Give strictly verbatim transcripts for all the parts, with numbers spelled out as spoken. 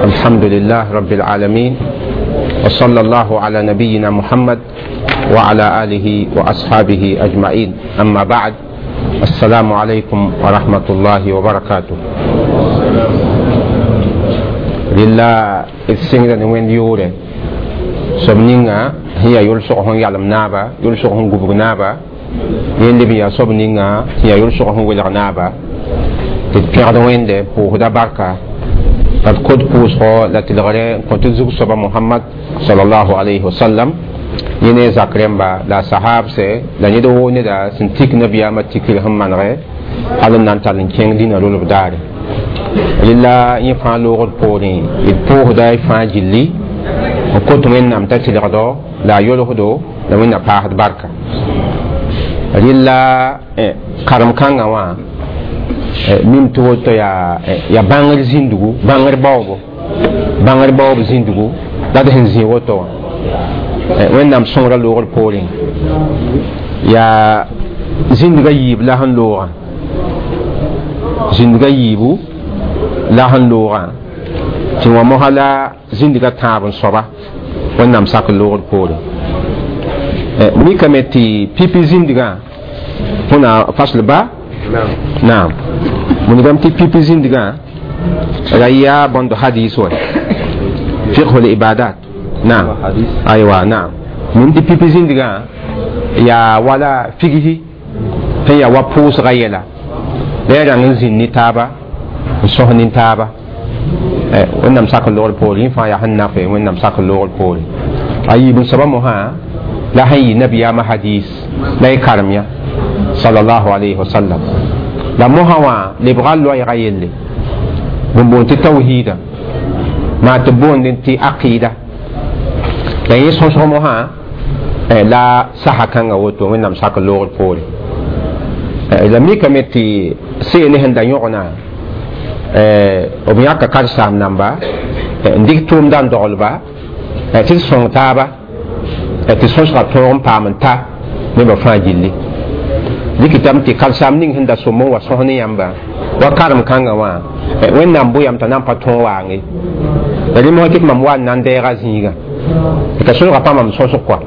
الحمد لله رب العالمين وصلى الله على نبينا محمد وعلى آله وأصحابه أجمعين أما بعد السلام عليكم ورحمة الله وبركاته لله السنة وين يوري sob ninga sẽn yaa yʋlsg sẽn yalem naaba yʋlsg sẽn gubg naaba yẽnd b yaa soab ninga sẽn yaa yʋlsg sẽn welg naaba tɩ d pẽgd wẽnde pʋʋsda barka la d kot pʋʋsgɔ la tɩlgre n kõ tɩ zug soaba mohamad salallahu alayhi wasallam yẽ ne zak rẽmba la a sahabse la ned woo neda sẽn tik nabiyaamã tikr sẽn manege hal n na n tall n kẽng dĩnã rolb daare rɩla yẽ fãa loogd poorẽ d pʋʋsda y fãa gilli n kot wẽnnaam t'a tɩlgdo la a yolsdo la wẽnna paasd barka rɩla karem-kãngã wã mim tɩ woto yaa yaa bãngr zĩndugu bãngr baoobo bãngr baoob zĩndugu la d sẽn zĩ woto wã wẽnnaam sõngra loogr poorẽ yaa zĩndga yiib la sẽn loogã zĩndga yiibu la sẽn loogã tɩ wã mosã la zĩndga tãab n soaba wẽnnaam sak loogr poorẽ mikame tɩ pipi zĩndgã هنا فصل با نعم من tɩ pipi zĩndgã ra yaa bõnd hadis wa فقه العبادات نعم أيوة نعم من tɩ pipi zĩndgã yaa wala figsi sẽn yaa wa pʋʋsga yɛla la ya rãng n zĩnd ne taaba n sõs ne taaba wẽnnaam sak n loogr poore yẽ fãa yaa sẽn nafe wẽnnaam sak n loogr poore a yiib n soaba mosã la sẽn yɩ nabiyaamã hadis la y karem yã sallallahu alayhi wa sallam la mosã wã lebga loɛɛga yelle bõn boond tɩ tawhiida maa tɩ boondẽ tɩ aqida la yẽ sõsg mosã la sasa kãngã woto wẽnnaam sak n loogr poore la mikame tɩ seene sẽn da yõgna b yãka karsaam namba n dɩk tʋʋmda n doglba tɩ d sõng taaba tɩ sõsga tõog n paam n ta nebã fãa gilli dɩkɩtame tɩ karsaam ning sẽn da sõm n wa sõs ne yãmba wa karem kãngã wã wẽnnaam bʋ yam t'a na n pa tõog waange la rẽ mosã tɩ mam wa n na n deega zĩigã t'a sõsga pa mam sõsg kɔa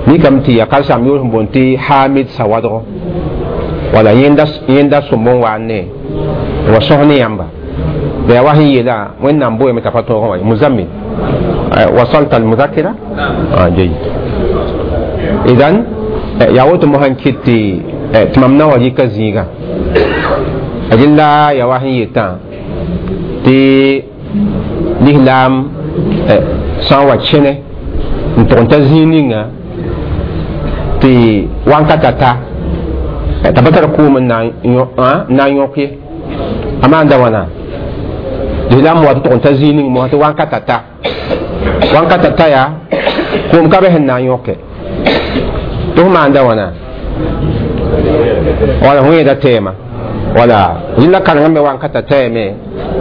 mikame tɩ yaa karsaam yoor sẽn boond tɩ hamid sawadgo wala yẽnda sõm n wa n ne wa sõs ne yãmba la yaa wa sẽn yeela wẽnnaam bʋ yame t'a pa tõog n wa muzammil وصلت المذكرة؟ آه جيد إذن yaa woto mosã n kɩt tɩ mam na wa rɩka zĩigã rẽnda yaa wa sẽn yetã tɩ lislaam sã n wa kẽne n tʋg n ta zĩig ninga tɩ wankata ta t'a pa tar kʋʋm n na n yõk ye a maanda wãna lislaam wa tɩ tʋg n ta zĩig ning mosã tɩ wankata ta wankata ta yaa kʋʋm ka be sẽn na n yõke tɩ f maanda wãna wala fõ yẽeda tɛɛma wala rẽnda karengã me wankata tɛɛme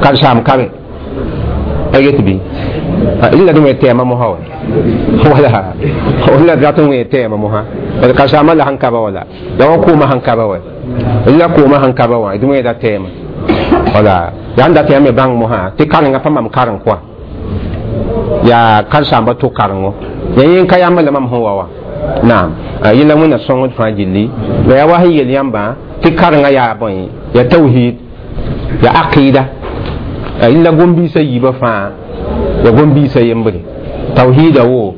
karsaam ka be a get bɩ rẽnda d wẽ tɛɛma mosã wa wala rẽnda d rat n wẽ tɛɛma mosã bad karsaamã la sẽn ka ba wala la wa kʋʋmã sẽn ka ba wa rẽnda kʋʋmã sẽn ka ba wã d wẽeda tɛɛma wala yaa n dat yaa me bãng mosã tɩ karengã pa mam kareng kɔa yaa karsaamba tʋ karengo ya yẽ ka yãmb la mam sẽn wa wa naam yẽla wẽnna sõngd fãa gilli la yaa wa sẽn yel yãmbã tɩ karengã yaa bõe yaa tawhid yaa aqida yẽla gom-biisã yiibã fãa yaa gom-biisã yembre tawhida wo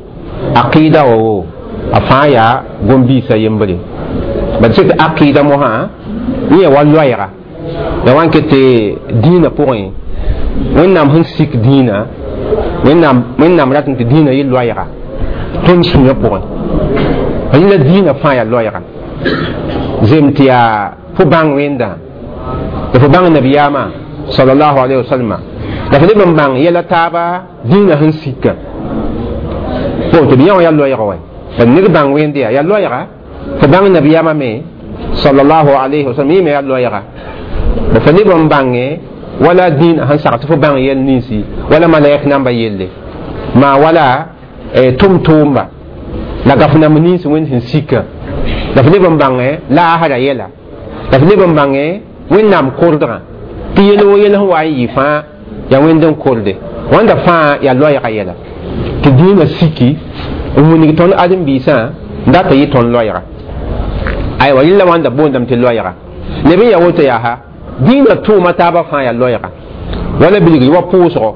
aqida wa wo a fãa yaa gom-biisã yembre bad sẽn tɩ aqida mosã yẽ yaa wa loɛɛga ya wa n ket tɩ dĩinã pʋgẽ wẽnnaam sẽn sik dĩinã wẽnnaam wẽnnaam rat n tɩ dĩinã yɩ loɛɛga tõnd sũyã pʋgẽ rẽnda dĩinã fãa yaa loɛɛga zem tɩ yaa fo bãng wẽnda la fo bãng nabiyaamã sallallahu alayhi wa sallam la fo leb n bãng yɛla taaba dĩinã sẽn sika fo tɩ b yã wã yaa loɛɛga wa bad ned bãng wẽnd yaa yaa loɛɛga fo bãng nabiyaamã me sallallahu alayhi wa sallam yẽ me yaa loɛɛga ba fo leb n bãnge wala dĩinã sẽn sag tɩ fo bãng yɛl ninsi wala malaɛk namba yelle maa wala tʋm-tʋʋmba la gaf nam nins wẽnd sẽn sika la f leb n bãngẽ laasra yɛla la f leb n bãngẽ wẽnnaam kordgã tɩ yel wo yel sẽn wa n yɩ fãa Yaa wẽnd n korde wãnda fãa yaa loɛɛga yɛla tɩ dĩinã siki n wilg tõnd ãdem-biisã n dat n yɩ tõnd loɛɛga aywa rẽla wãnda boondame tɩ loɛɛga leb n yaa woto yaa dĩinã tʋʋma taabã fãa yaa loɛɛga wala bilgr wa pʋʋsgo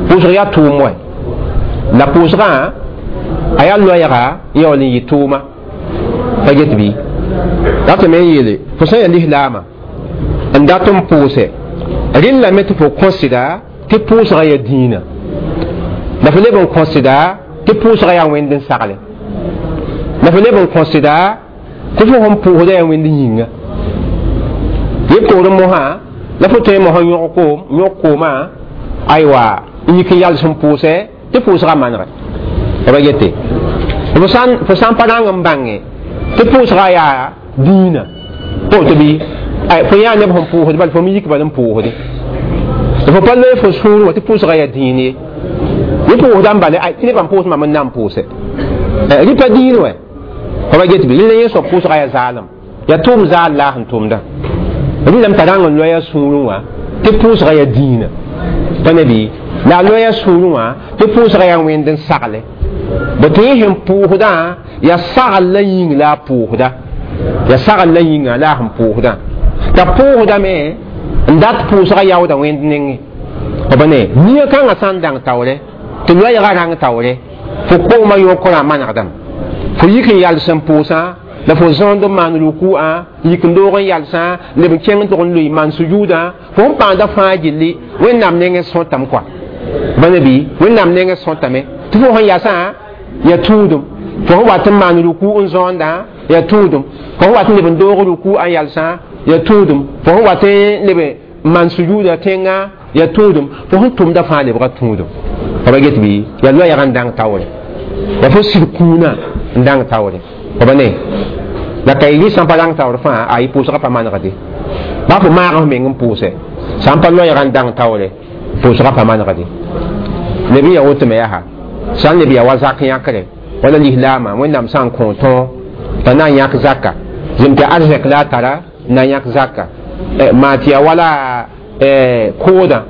pʋʋsg yaa tʋʋm wɛ la pʋʋsgã a yaa loɛɛga n yaool n yɩ tʋʋma pa get bɩ ratame n yeele fo sã n yaa lislaamã n dat n pʋʋsɛ rẽnd lame tɩ fo kõsda tɩ pʋʋsga yaa dĩinã la fo leb n kõsda tɩ pʋʋsga yaa wẽnd n sagle la fo leb n kõsda tɩ fo sẽn pʋʋsda yaa wẽnd yĩnga yẽ poorẽ mosã la fo tõe mosã yõg koom yõg koomã aywa n yik n yals n pʋʋsɛ tɩ pʋʋsga manegɛ b ba gete fo sã fo sã n pa rãng n bãnge tɩ pʋʋsga yaa dĩinã woto bɩ fo yã neb sẽn pʋʋsd bal fo me yik bal n pʋʋsde fo pa loe fo sũur wã tɩ pʋʋsga yaa dĩin ye yẽ pʋʋsda n bale tɩ nebã n pʋʋs mam n na n pʋʋsɛ rɩ pa dĩin wɛ fo ba get bɩ rẽnd yẽ soab pʋʋsga yaa zaalem yaa tʋʋm zaal la a sẽn tʋmda rẽndame t'a rãng n loa sũurẽ wã tɩ pʋʋsga yaa dĩinã pa ne bɩ la a loa sũurẽ wã tɩ pʋʋsga yaa wẽnd n sagle bõ tɩ yẽ sẽn pʋʋsdã yaa sagl la yĩng la a pʋʋsda yaa sagl la yĩnga la a sẽn pʋʋsdã t'a pʋʋsdame n dat pʋʋsga yaooda wẽnd nengẽ b ne nia kãngã sã n dãng taoore tɩ loɛɛgã rãng taoore fo koomã yõkorã manegdame fo yik n yals n pʋʋsã la fo zõond n maan ruku'a yik n doog n yalsã leb n kẽng n tʋg n loe maan sujuudã fo sẽn paanda fãa gilli wẽnnaam nengẽ sõtame kɔa ba ne bɩ wẽnnaam nengẽ sõtame tɩ fo sẽn yasã yaa tũudum fo sẽn wat n maan ruku n zõonda yaa tũudum fo sẽn wat n leb n doog ruku n yalsã yaa tũudum fo sẽn wat n leb n maan sujuuda tẽngã yaa tũudum fo sẽn tʋmda fãa lebga tũudum fa ba get bɩ yaa loɛɛg n dãng taoore yaa fo sɩd kũunã n dãng taoore fa ba ne la ka yɩ sã n pa rãng taoor fãa a yɩ pʋʋsgã pa manegde baa fo maag f meng n pʋʋsɛ sã n pa loɛɛg n dãng taoore pʋʋsgã pa manegde leb n yaa woto me yaa sã n leb yaa wa zak yãkre wala lislaamã wẽnnaam sã n kõ tõog t'a na n yãk zaka zem tɩ arzɛk la a tara n na n yãk zaka maa tɩ yaa wala koodã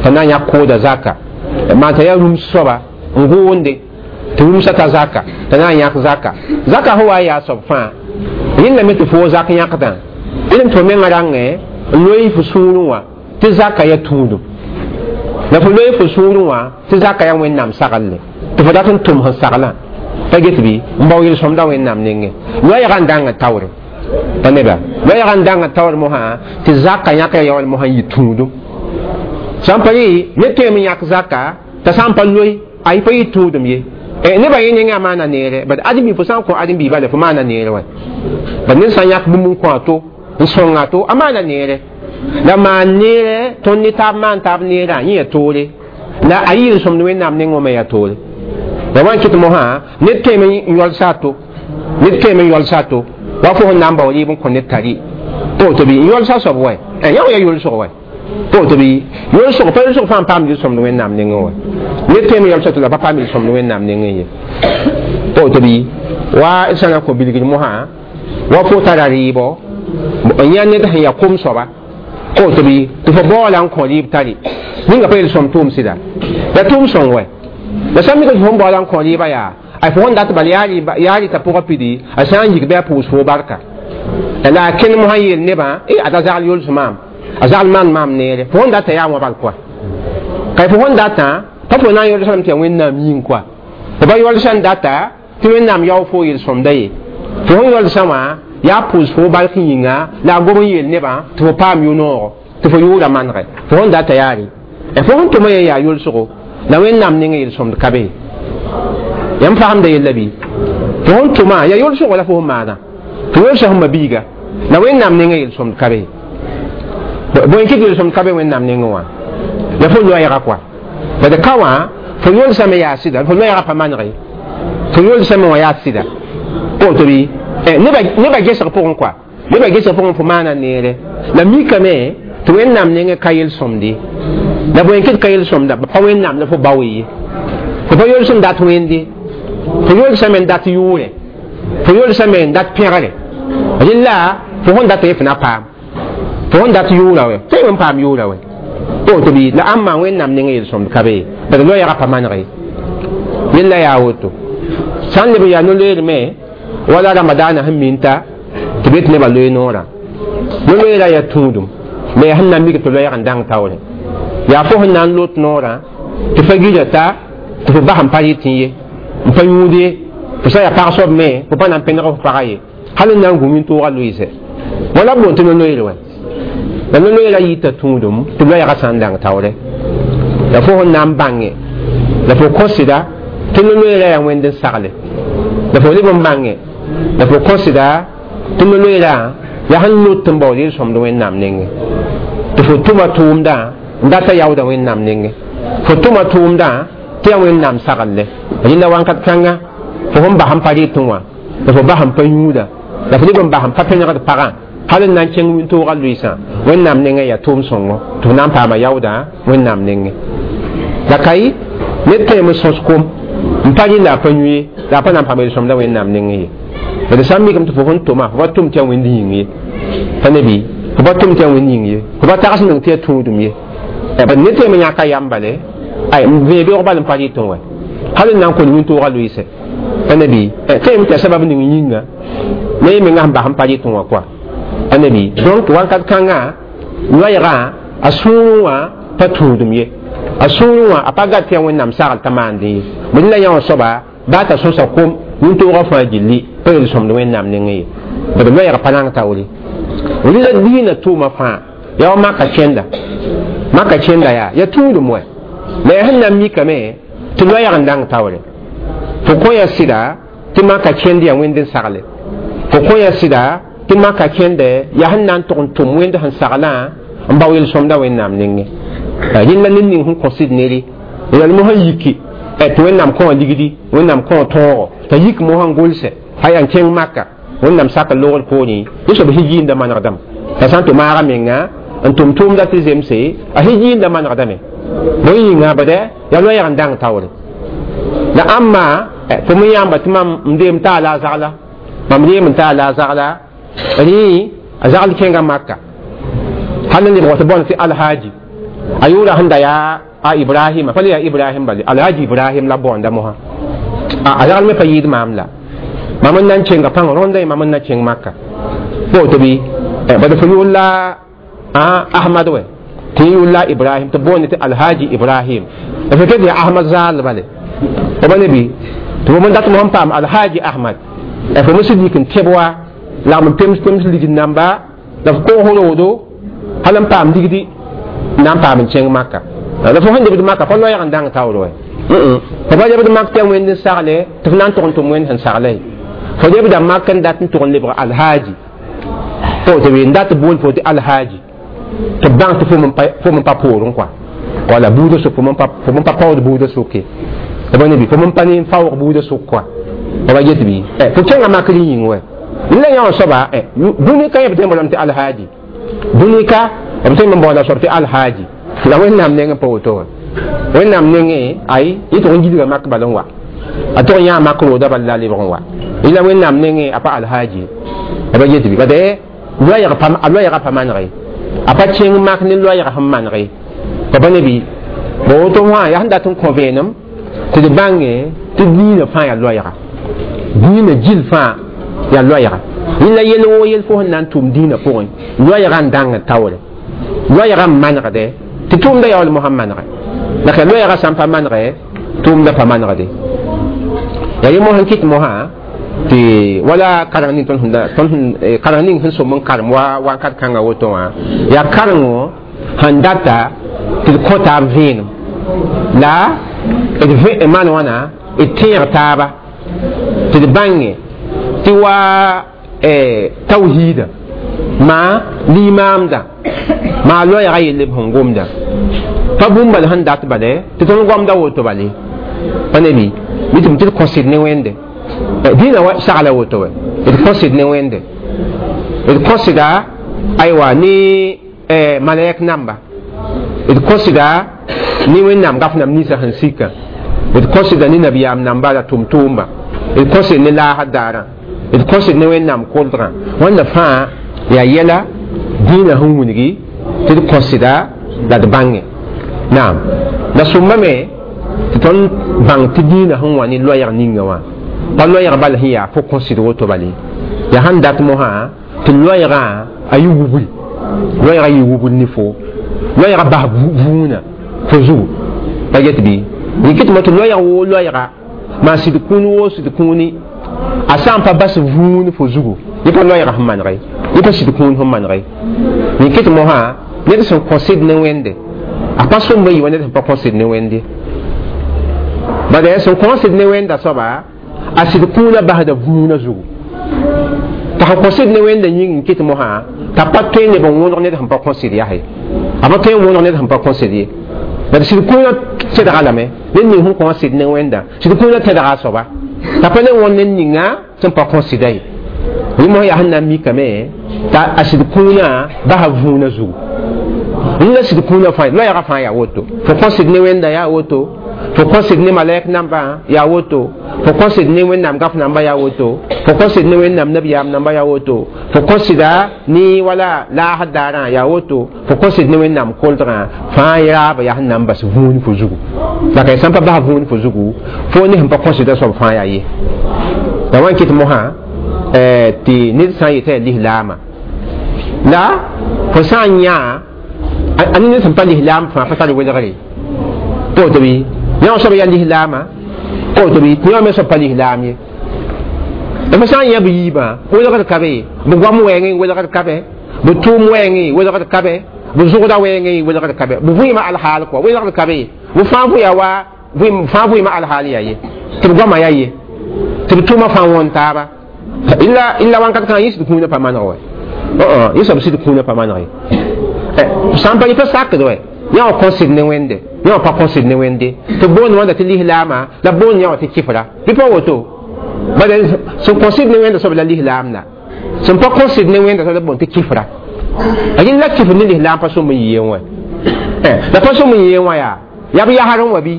t'a na n yãk kooda zaka maa t'a yaa rũms soaba n gʋʋnde tɩ rũmsã ta zaka t'a na n yãk zaka zaka sẽn wa n yaa soab fãa rẽnd lame tɩ fo zak yãkdã rẽnd tɩ fo mengã rãngẽ n loe fo sũurẽ wã tɩ zaka yaa tũudum la fo loe fo sũurẽ wã tɩ zaka yaa wẽnnaam saglle tɩ fo dat n tʋm sẽn saglã pa get bɩ n bao yel-sõmda wẽnnaam nengẽ loɛɛgã n dãngã taoore pa neba loɛɛgã n dãngã taoor mosã tɩ zaka yãkra yaool mosã n yɩ tũudum sã n pa rɩ ned tõeme n yãk zaka t'a sã n pa loe a yɩ pa yɩ tũudum ye nebã yẽ nengã maana neere bad ãdem-bi fo sã n kõ ãdem-bi bala fo maana neere wɛ bad ned sã n yãk bũmb n kõ a to n sõnga to a maana neere la maan neere tõnd ne taab maan taab neerã yẽ yaa toore la a yɩ yel-sõmd wẽnnaam nengẽ me yaa toore la wa n kɩt mosã ned tõeme n yɔlsa a to ned tõeme n yɔlsa a to wa fo sẽn na n bao rɩɩb n kõ ned tari woto bɩ n yɔlsa soab wɛ yã yaa yolsg wɛ woto bɩ yolsg pa yolsg fãa n paam yel-sõmd wẽnnaam nengẽ wɛ ned tõeme yɔlsa to la pa paam yel-sõmd wẽnnaam nengẽ ye woto bɩ wa d sã na n kõ bilgr mosã wa fo tara rɩɩbɔ n yã ned sẽn yaa kom soaba woto bɩ tɩ fo baoola n kõ rɩɩb tari ninga pa yel-sõm tʋʋm sɩda ya tʋʋm sõng wɛ la sã n mik tɩ fo n baoola n kõ rɩɩbã yaa a fo sẽn dat bal yaa rɩta pʋgã pidi a sã n yik bɩ a pʋʋs fo barka la a kẽnd mosã yeel nebã e ad a zagl yols maam a zagl maan maam neere fo sẽn data yaa wã bal kɔa ka fo sẽn datã pa fo na n yolsame tɩ yaa wẽnnaam yĩng kɔa fo pa yolsã n data tɩ wẽnnaam yao fo yel-sõmda ye fo sẽn yolsã wã yaa pʋʋs fo bark yĩnga la a gom n yeel nebã tɩ fo paam yʋ-noogo tɩ fo yʋʋra manegɛ fo sẽn data yaa rɩ fo sẽn tʋma ye yaa yolsgo la wẽnnaam nengẽ yel-sõmd ka be yãmb fagemda yella bɩ fo sẽn tʋma yaa yolsgo la fo sẽn maana fo yolsa sẽn mabiiga la wẽnnaam nengẽ yel-sõmd ka be bõe kɩt yel-sõmd ka be wẽnnaam nengẽ wã la fo loɛɛga kɔa bad ka wã fo yolsame yaa sɩda fo loɛɛga pa manege fo yolsame wã yaa sɩda woto bɩ nebã gesg pʋgẽ kɔa nebã gesg pʋgẽ fo maana neere la mikame tɩ wẽnnaam nengẽ ka yel-sõmde la bõe kɩt ka yel-sõmda pa wẽnnaam la fo bao ye fo pa yols n dat wẽnde fo yolsame n dat yʋʋrɛ fo yolsame n dat pẽgre rẽla fo sẽn dat ye fo na paam fo sẽn dat yʋʋra wɛ tõe n paam yʋʋra wɛ Woto bɩ la ãmba wẽnnaam nengẽ yel-sõmd ka be bad loɛɛgã pa maneg ye yella yaa woto sã n leb n yaa no-loeer me wala ramadaana sẽn minta tɩ be tɩ nebã loe noorã no-loeerã yaa tũudum la yaa sẽn na n mik tɩ loɛɛg n dãng taoore yaa fo sẽn na n lot noorã tɩ fa gila ta tɩ fo bas n pa rɩtẽ ye n pa yũud ye fo sã yaa pag soab me fo pa na n pẽneg f pagã ye hal n na n gũ wĩntoogã loɩsɛ wala b boond tɩ no-loeer wɛ la no-loeerã yita tũudum tɩ loɛɛgã sã n dãng taoore la fo sẽn na n bãnge la fo kõsɩda tɩ no-loeerã yaa wẽnd n sagle la fo leb n bãnge la fo kõsɩda tɩ no-loeerã yaa sẽn lot n baood yel-sõmd wẽnnaam nengẽ tɩ fo tʋma tʋʋmdã n data yaoodã wẽnnaam nengẽ fo tʋma tʋʋmdã tɩ yaa wẽnnaam saglle rẽnda wãnkat kãnga fo sẽn bas n pa rɩtẽ wã la fo bas n pa yũuda la fo leb n bas n pa pẽnegd pagã hal n na n kẽng wĩntoogã loɩsã wẽnnaam nengẽ yaa tʋʋm sõngo tɩ f na n paama yaoodã wẽnnaam nengẽ la ka yɩ ned tẽem n sõs kom n pa rɩ la a pa yũ ye la a pa na n paam yel-sõmda wẽnnaam nengẽ ye d sã n mikame tɩ fo sẽn tʋma fo pa tʋm tɩ yaa wẽnd yĩng ye pa ne bɩ fo pa tʋm tɩ yaa wẽnd yĩng ye fo pa tags neng tɩ yaa tũudum ye bad ned tẽem n yãka yam bale ay n vẽe beoog bal n pa rɩtẽ wɛ hal n na n kõ wĩntoogã loɩsɛ pa ne bɩ tẽem tɩ yaa sabab ning yĩnga ne y menga sẽn bas n pa rɩtẽ wã koa pa ne bɩ donc wãnkat kãngã loɛɛgã a sũurẽ wã pa tũudum ye a sũurẽ wã a pa gat tɩ yaa wẽnnaam sagl t'a maandẽ ye bõe la yã wã soaba baa t'a sõsa kom wĩntoogã fãa gilli pa yel-sõmd wẽnnaam nengẽ ye bad loɛɛg pa rãng taoore rɩla diinã tʋʋma fãa yaa wa maka kẽnda maka kẽnda yaa yaa tũudum wɛ la yaa sẽn na n mikame tɩ loɛɛg n dãng taoore fo kõ ya sɩda tɩ maka kẽnd yaa wẽnd n sagle fo kõ ya sɩda tɩ maka kẽndɛ yaa sẽn na n tʋg n tʋm wẽnd sẽn saglã n bao yel-sõmda wẽnnaam nengẽ rẽnda ned ning sẽn kõ sɩd nere yal mosã yiki tɩ wẽnnaam kõ ligdi wẽnnaam kõ tõogo t'a yik mosã n gʋlsɛ a yaa n kẽng maka wẽnnaam sak logr poorẽ yẽ soab hijiinda manegdame t'a sã n tɩ maaga menga n tʋm tʋʋmda tɩ zemse a hijiinda manegdame bõe yĩnga bade yaa loɛɛg n dãng taoore la ãmba fo me yãamba tɩ mam n deem taa la a zagla mam reem n taa la a zagla rẽ a zagl kẽnga maka hal n lebg tɩ bõn tɩ alhaji a yʋʋra sẽn da yaa a ibrahima pa le yaa ibrahim bale alhaji ibrahim la boonda mosã a zagl me pa yɩɩd maam la mam n na n kẽnga pãng rõndã mam n na kẽng maka woto bɩ bad fo yʋʋr la ahmad wɛ tɩ yʋʋr la ibrahim tɩ boonde tɩ alhaji ibrahim la fo ket yaa ahmad zaal bale fo ba ne bɩ tɩ fo n dat mosã n paam alhaji ahmad fo me sẽn yik n tẽb wa lagm n pems pems ligd namba la f koos roodo hal n paam ligdi n na n paam n kẽng maka la fo sẽn lebd maka pa loɛɛg n dãng taoor wɛ fo pa lebd mak tɩ yaa wẽnd n sagle tɩ f na n tʋg n tʋm wẽnd sẽn sagle fo lebda mak n dat n tʋg n lebg alhaji fo tɩ n dat bool fo tɩ alhaji tɩ b bãng tɩ fo m pa poorẽ kɔa wala buudã sʋk fo m pa paood buudã sʋke b ne bɩ fo m pa ne n faoog buudã sʋk kɔa fo ba get bɩ fo kẽnga makr yĩng wɛ la yã wã soaba dũni ka yẽ b tõe n boolame tɩ alhaji dũni ka b tõe n boola soab tɩ alhaji la wẽnnaam nengẽ pa woto wã wẽnnaam nengẽ ay yẽ tʋg n gilga mak bal n wa a tʋg n yãa mak rooda bal la a lebg n wa yẽla wẽnnaam nengẽ a pa alhaji a ba get bɩ bad a loɛɛgã pa manege a pa kẽng mak ne loɛɛgã sẽn manege pa pa ne bɩ ba woto wã yaa sẽn dat n kõ vẽenem tɩ d bãnge tɩ diinã fãa yaa loɛɛga diinã gill fãa yaa loɛɛga yẽla yel woo yel fo sẽn na n tʋm diinã pʋgẽ loɛɛgã n dãng taoore loɛɛgã n manegde tɩ tʋʋmda yaool mosã n manege la ka loɛɛgã sã n pa manege tʋʋmda pa manegde yaa yẽ mos n kɩt mosã tɩ wala kareng ning tõnd sẽn kareng ning sẽn som n karem wa wakat kãngã woto wã yaa karengo sẽn data tɩ d kõ taab vẽenem la d vẽ maan wãna d tẽeg taaba tɩ d bãnge tɩ wa tawhiida maa limaamda maa loɛɛga yelle b sẽn gomda pa bũmb bal sẽn dat bale tɩ tõnd goamda woto bale pa ne bɩ bɩ tɩ m tɩ d kõsd ne wẽnde dĩinã sagla woto wɛ d kõsd ne wẽnde d kõsda aywa ne malaɛk namba d kõsda ne wẽnnaam gaf nam ninsã sẽn sika d kõsda ne nabiyaam namba la tʋm-tʋʋmba d kõsd ne laasd daarã d kõsd ne wẽnnaam koldgã wãnda fãa yaa yɛla dĩinã sẽn wilgi tɩ d kõsda la d bãnge Naam la sõmbame tɩ tõnd bãng tɩ dĩinã sẽn wa ne loɛɛg ninga wã pa loɛɛg bal sẽn yaa fo kõsd woto bale yaa sãn dat mosã tɩ loɛɛgã a yɩ wubl loɛɛgã yɩ wubl ne fo loɛɛgã bas vũunã fo zugu pa get bɩ rɩk tɩ tɩ loɛɛg woo loɛɛga maa sɩd kũun woo sɩd kũuni a sã n pa bas vũun fo zugu yẽ pa loɛɛgã sẽn manege yẽ pa sɩd kũun sẽn manege rɩk tɩ mosã ned sẽn kõ sɩd ne wẽnde a pa sõmb n yɩ wa ned sẽn pa kõ sɩd ne wẽnde bala sẽn kõ sɩd ne wẽnda soaba a sɩd kũunã basda vũunã zugu t'a sẽn kõ sɩd ne wẽnda yĩng n kɩt mosã t'a pa tõe neb n wõneg ned sẽn pa kõ sɩd yaa ye a pa tõe n wõneg ned sẽn pa kõ sɩd ye bala sɩd kũunã tẽdga lame ned ning sẽn kõ sɩd ne wẽnda sɩd kũunã tẽdga a soaba t'a pa le wõnd ned ninga sẽn pa kõ sɩda ye rẽ mosã yaa sẽn na n mikame t'a a sɩd kũunã basa vũunã zugu rẽnd sɩd kũunã fãa loɛɛgã fãa yaa woto fo kõ sɩd ne wẽnda yaa woto fo kõ sɩd ne malɛk namba yaa woto fo kõ sɩd ne wẽnnaam gaf namba yaa woto fo kõ sɩd ne wẽnnaam nabiyaam namba yaa woto fo kõ sɩda ne wala laasd daarã yaa woto fo kõ sɩd ne wẽnnaam koldgã fãa raaba yaa sẽn na n bas vũun fo zugu la ka sãn pa bas vũun fo zugu fo ne sẽn pa kõ sɩda soab fãa yaa ye la wa n kɩt mosã tɩ ned sã n yetã yaa lislaama la fo sã n yã a ned sẽn pa lislaam fãa pa tar welgre pa woto bɩ yã soab yaa lislaama pa woto bɩ tɩ yã me soab pa lislaam ye fo sã n yã b yiibã welgd ka be b goam wɛɛngẽ welgd ka be b tʋʋm wɛɛngẽ welgd ka be b zʋgda wɛɛngẽ welgd ka be b vɩɩmã alhaal kɔa welgd ka be b fãa vʋ wa fãa vɩɩmã alhaal yaa ye tɩ b goamã yaa ye tɩ b tʋʋmã fãa wõn taaba illa illa wãnkat kãngã yẽ sɩd kũunã pa maneg wɛ yẽ soab sɩd kũunã pa maneg ye sã n pa yẽ pa sakd wɛ yã wã kõ sɩd ne wẽnde yã wã pa kõ sɩd ne wẽnde tɩ boond wãnda tɩ lislaama la boond yã wã tɩ kɩfra bɩ pa woto bala sẽn kõ sɩd ne wẽnda soab la lislaam la sẽn pa kõ sɩd ne wẽnda soab la boond tɩ kɩfra a yẽnd la kɩfr ne lislaam pa sõm n yɩ yen wɛ la pa sõm n yɩ yen wã yaa yaa b yasr n wa bɩ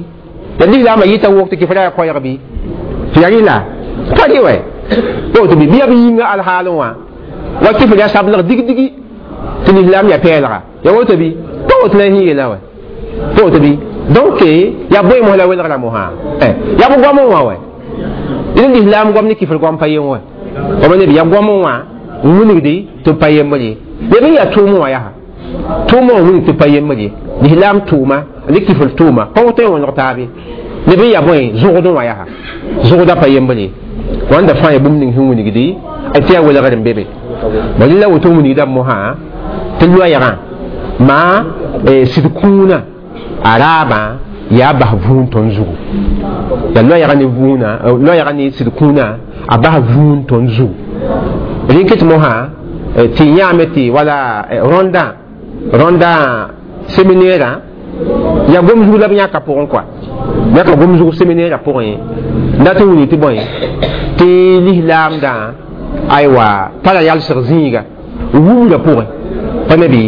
la lislaamã yɩta wok tɩ kɩfra yaa koɛɛg bɩ tɩ yaa rɩla pa rɩ wɛ woto bɩ bɩ yaa b yĩnga alhaalẽ wã wa kɩfr yaa sablg dig-digi tɩ lislaam yaa pɛɛlga ya woto bɩ pa woto la sẽn yeela wɛ pa woto bɩ donc yaa bõe mos la welgra mosã yaa b goam wã wɛ d lislaam goam ne kɩfr goam pa yen wɛ b neb yaa goam wã n wilgdi tɩ pa yembre neb n yaa tʋʋm wã yaa tʋʋm wã wilg tɩ pa yembre lislaam tʋʋma ne kɩfr tʋʋma pa woto n wõneg taabe neb n yaa bõe zʋgd wã yaa zʋgda pa yembre wãnda fãa yaa bũmb ning sẽn wilgdi tɩ yaa welgr n be be bala la woto wilgda mosã tɩ loɛɛgã maa sɩd kũunã a raabã yaa bas vũun tõnd zugu yaa loɛɛgã ne vũunã loɛɛgã ne sɩd kũunã a bas vũun tõnd zugu rẽn ket mosã tɩ yãame tɩ wala rõndã rõndã séminaire yaa gom zug la b yãka pʋgẽ kɔa yãka gom zug séminaire pʋgẽ n dat n wilg tɩ bõe tɩ lislaamdã aywa tara yalsg zĩiga wubra pʋgẽ pa ne bɩ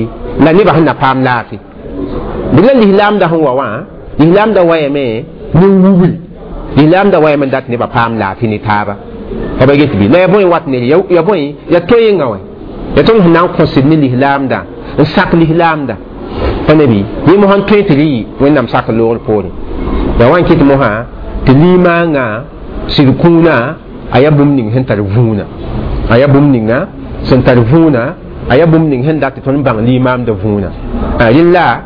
la nebã sẽn na paam laafɩ bɩ la lislaamdã sẽn wa wã lislaamdã wayame ne wubri lislaamdã wayame n dat nebã paam laafɩ ne taaba pa ba get bɩ la ya bõe wat ne ya bõe ya toenga wɛ ya tõnd sẽn na n kõsd ne lislaamdã n sak lislaamdã pa ne bɩ yẽ mosã n tõe tɩ rɩ wẽnnaam sak loogr poorẽ ya wa n kɩt mosã tɩ limaangã sɩd kũunã a yaa bũmb ning sẽn tar vũunã a yaa bũmb ninga sẽn tar vũunã a yaa bũmb ning sẽn dat tɩ tõnd bãng limaamda vũunã rẽn la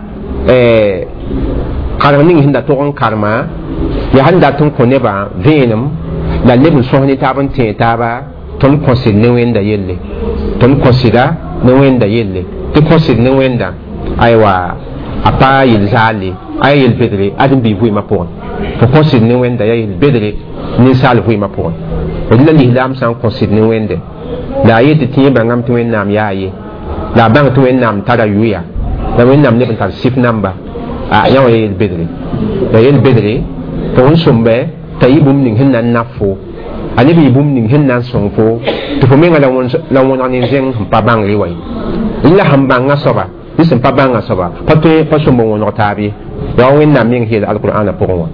karem ning sẽn da tog n karema yaa sẽn dat n kõ nebã vẽenem la leb n sõs ne taab n tẽeg taaba tõnd kõsd ne wẽnda yelle tõnd kõsda ne wẽnda yelle tɩ kõsd ne wẽnda aywa a pa yel-zaale a yaa yel-bedre ãdem-biig vɩɩmã pʋgẽ fo kõsd ne wẽnda yaa yel-bedre ninsaal vɩɩmã pʋgẽ d la lislaam sã n kõsd ne wẽnde la a yet tɩ yẽ bãngame tɩ wẽnnaam yaa ye la a bãng tɩ wẽnnaam tara yʋya la wẽnnaam leb n tar sɩf namba a yã wã ya yel-bedre ya yel-bedre tɩ wẽn sõmba t'a yɩ bũmb ning sẽn na n naf fo a leb yɩ bũmb ning sẽn na n sõng fo tɩ fo menga la wõneg ne zẽng sẽn pa bãngre wa ye la sẽn bãnga soaba ne sẽn pa bãnga soaba pa tõe pa sõmb n wõneg taab ye yaa wẽnnaam meng yeel alqur'ana pʋgẽ wã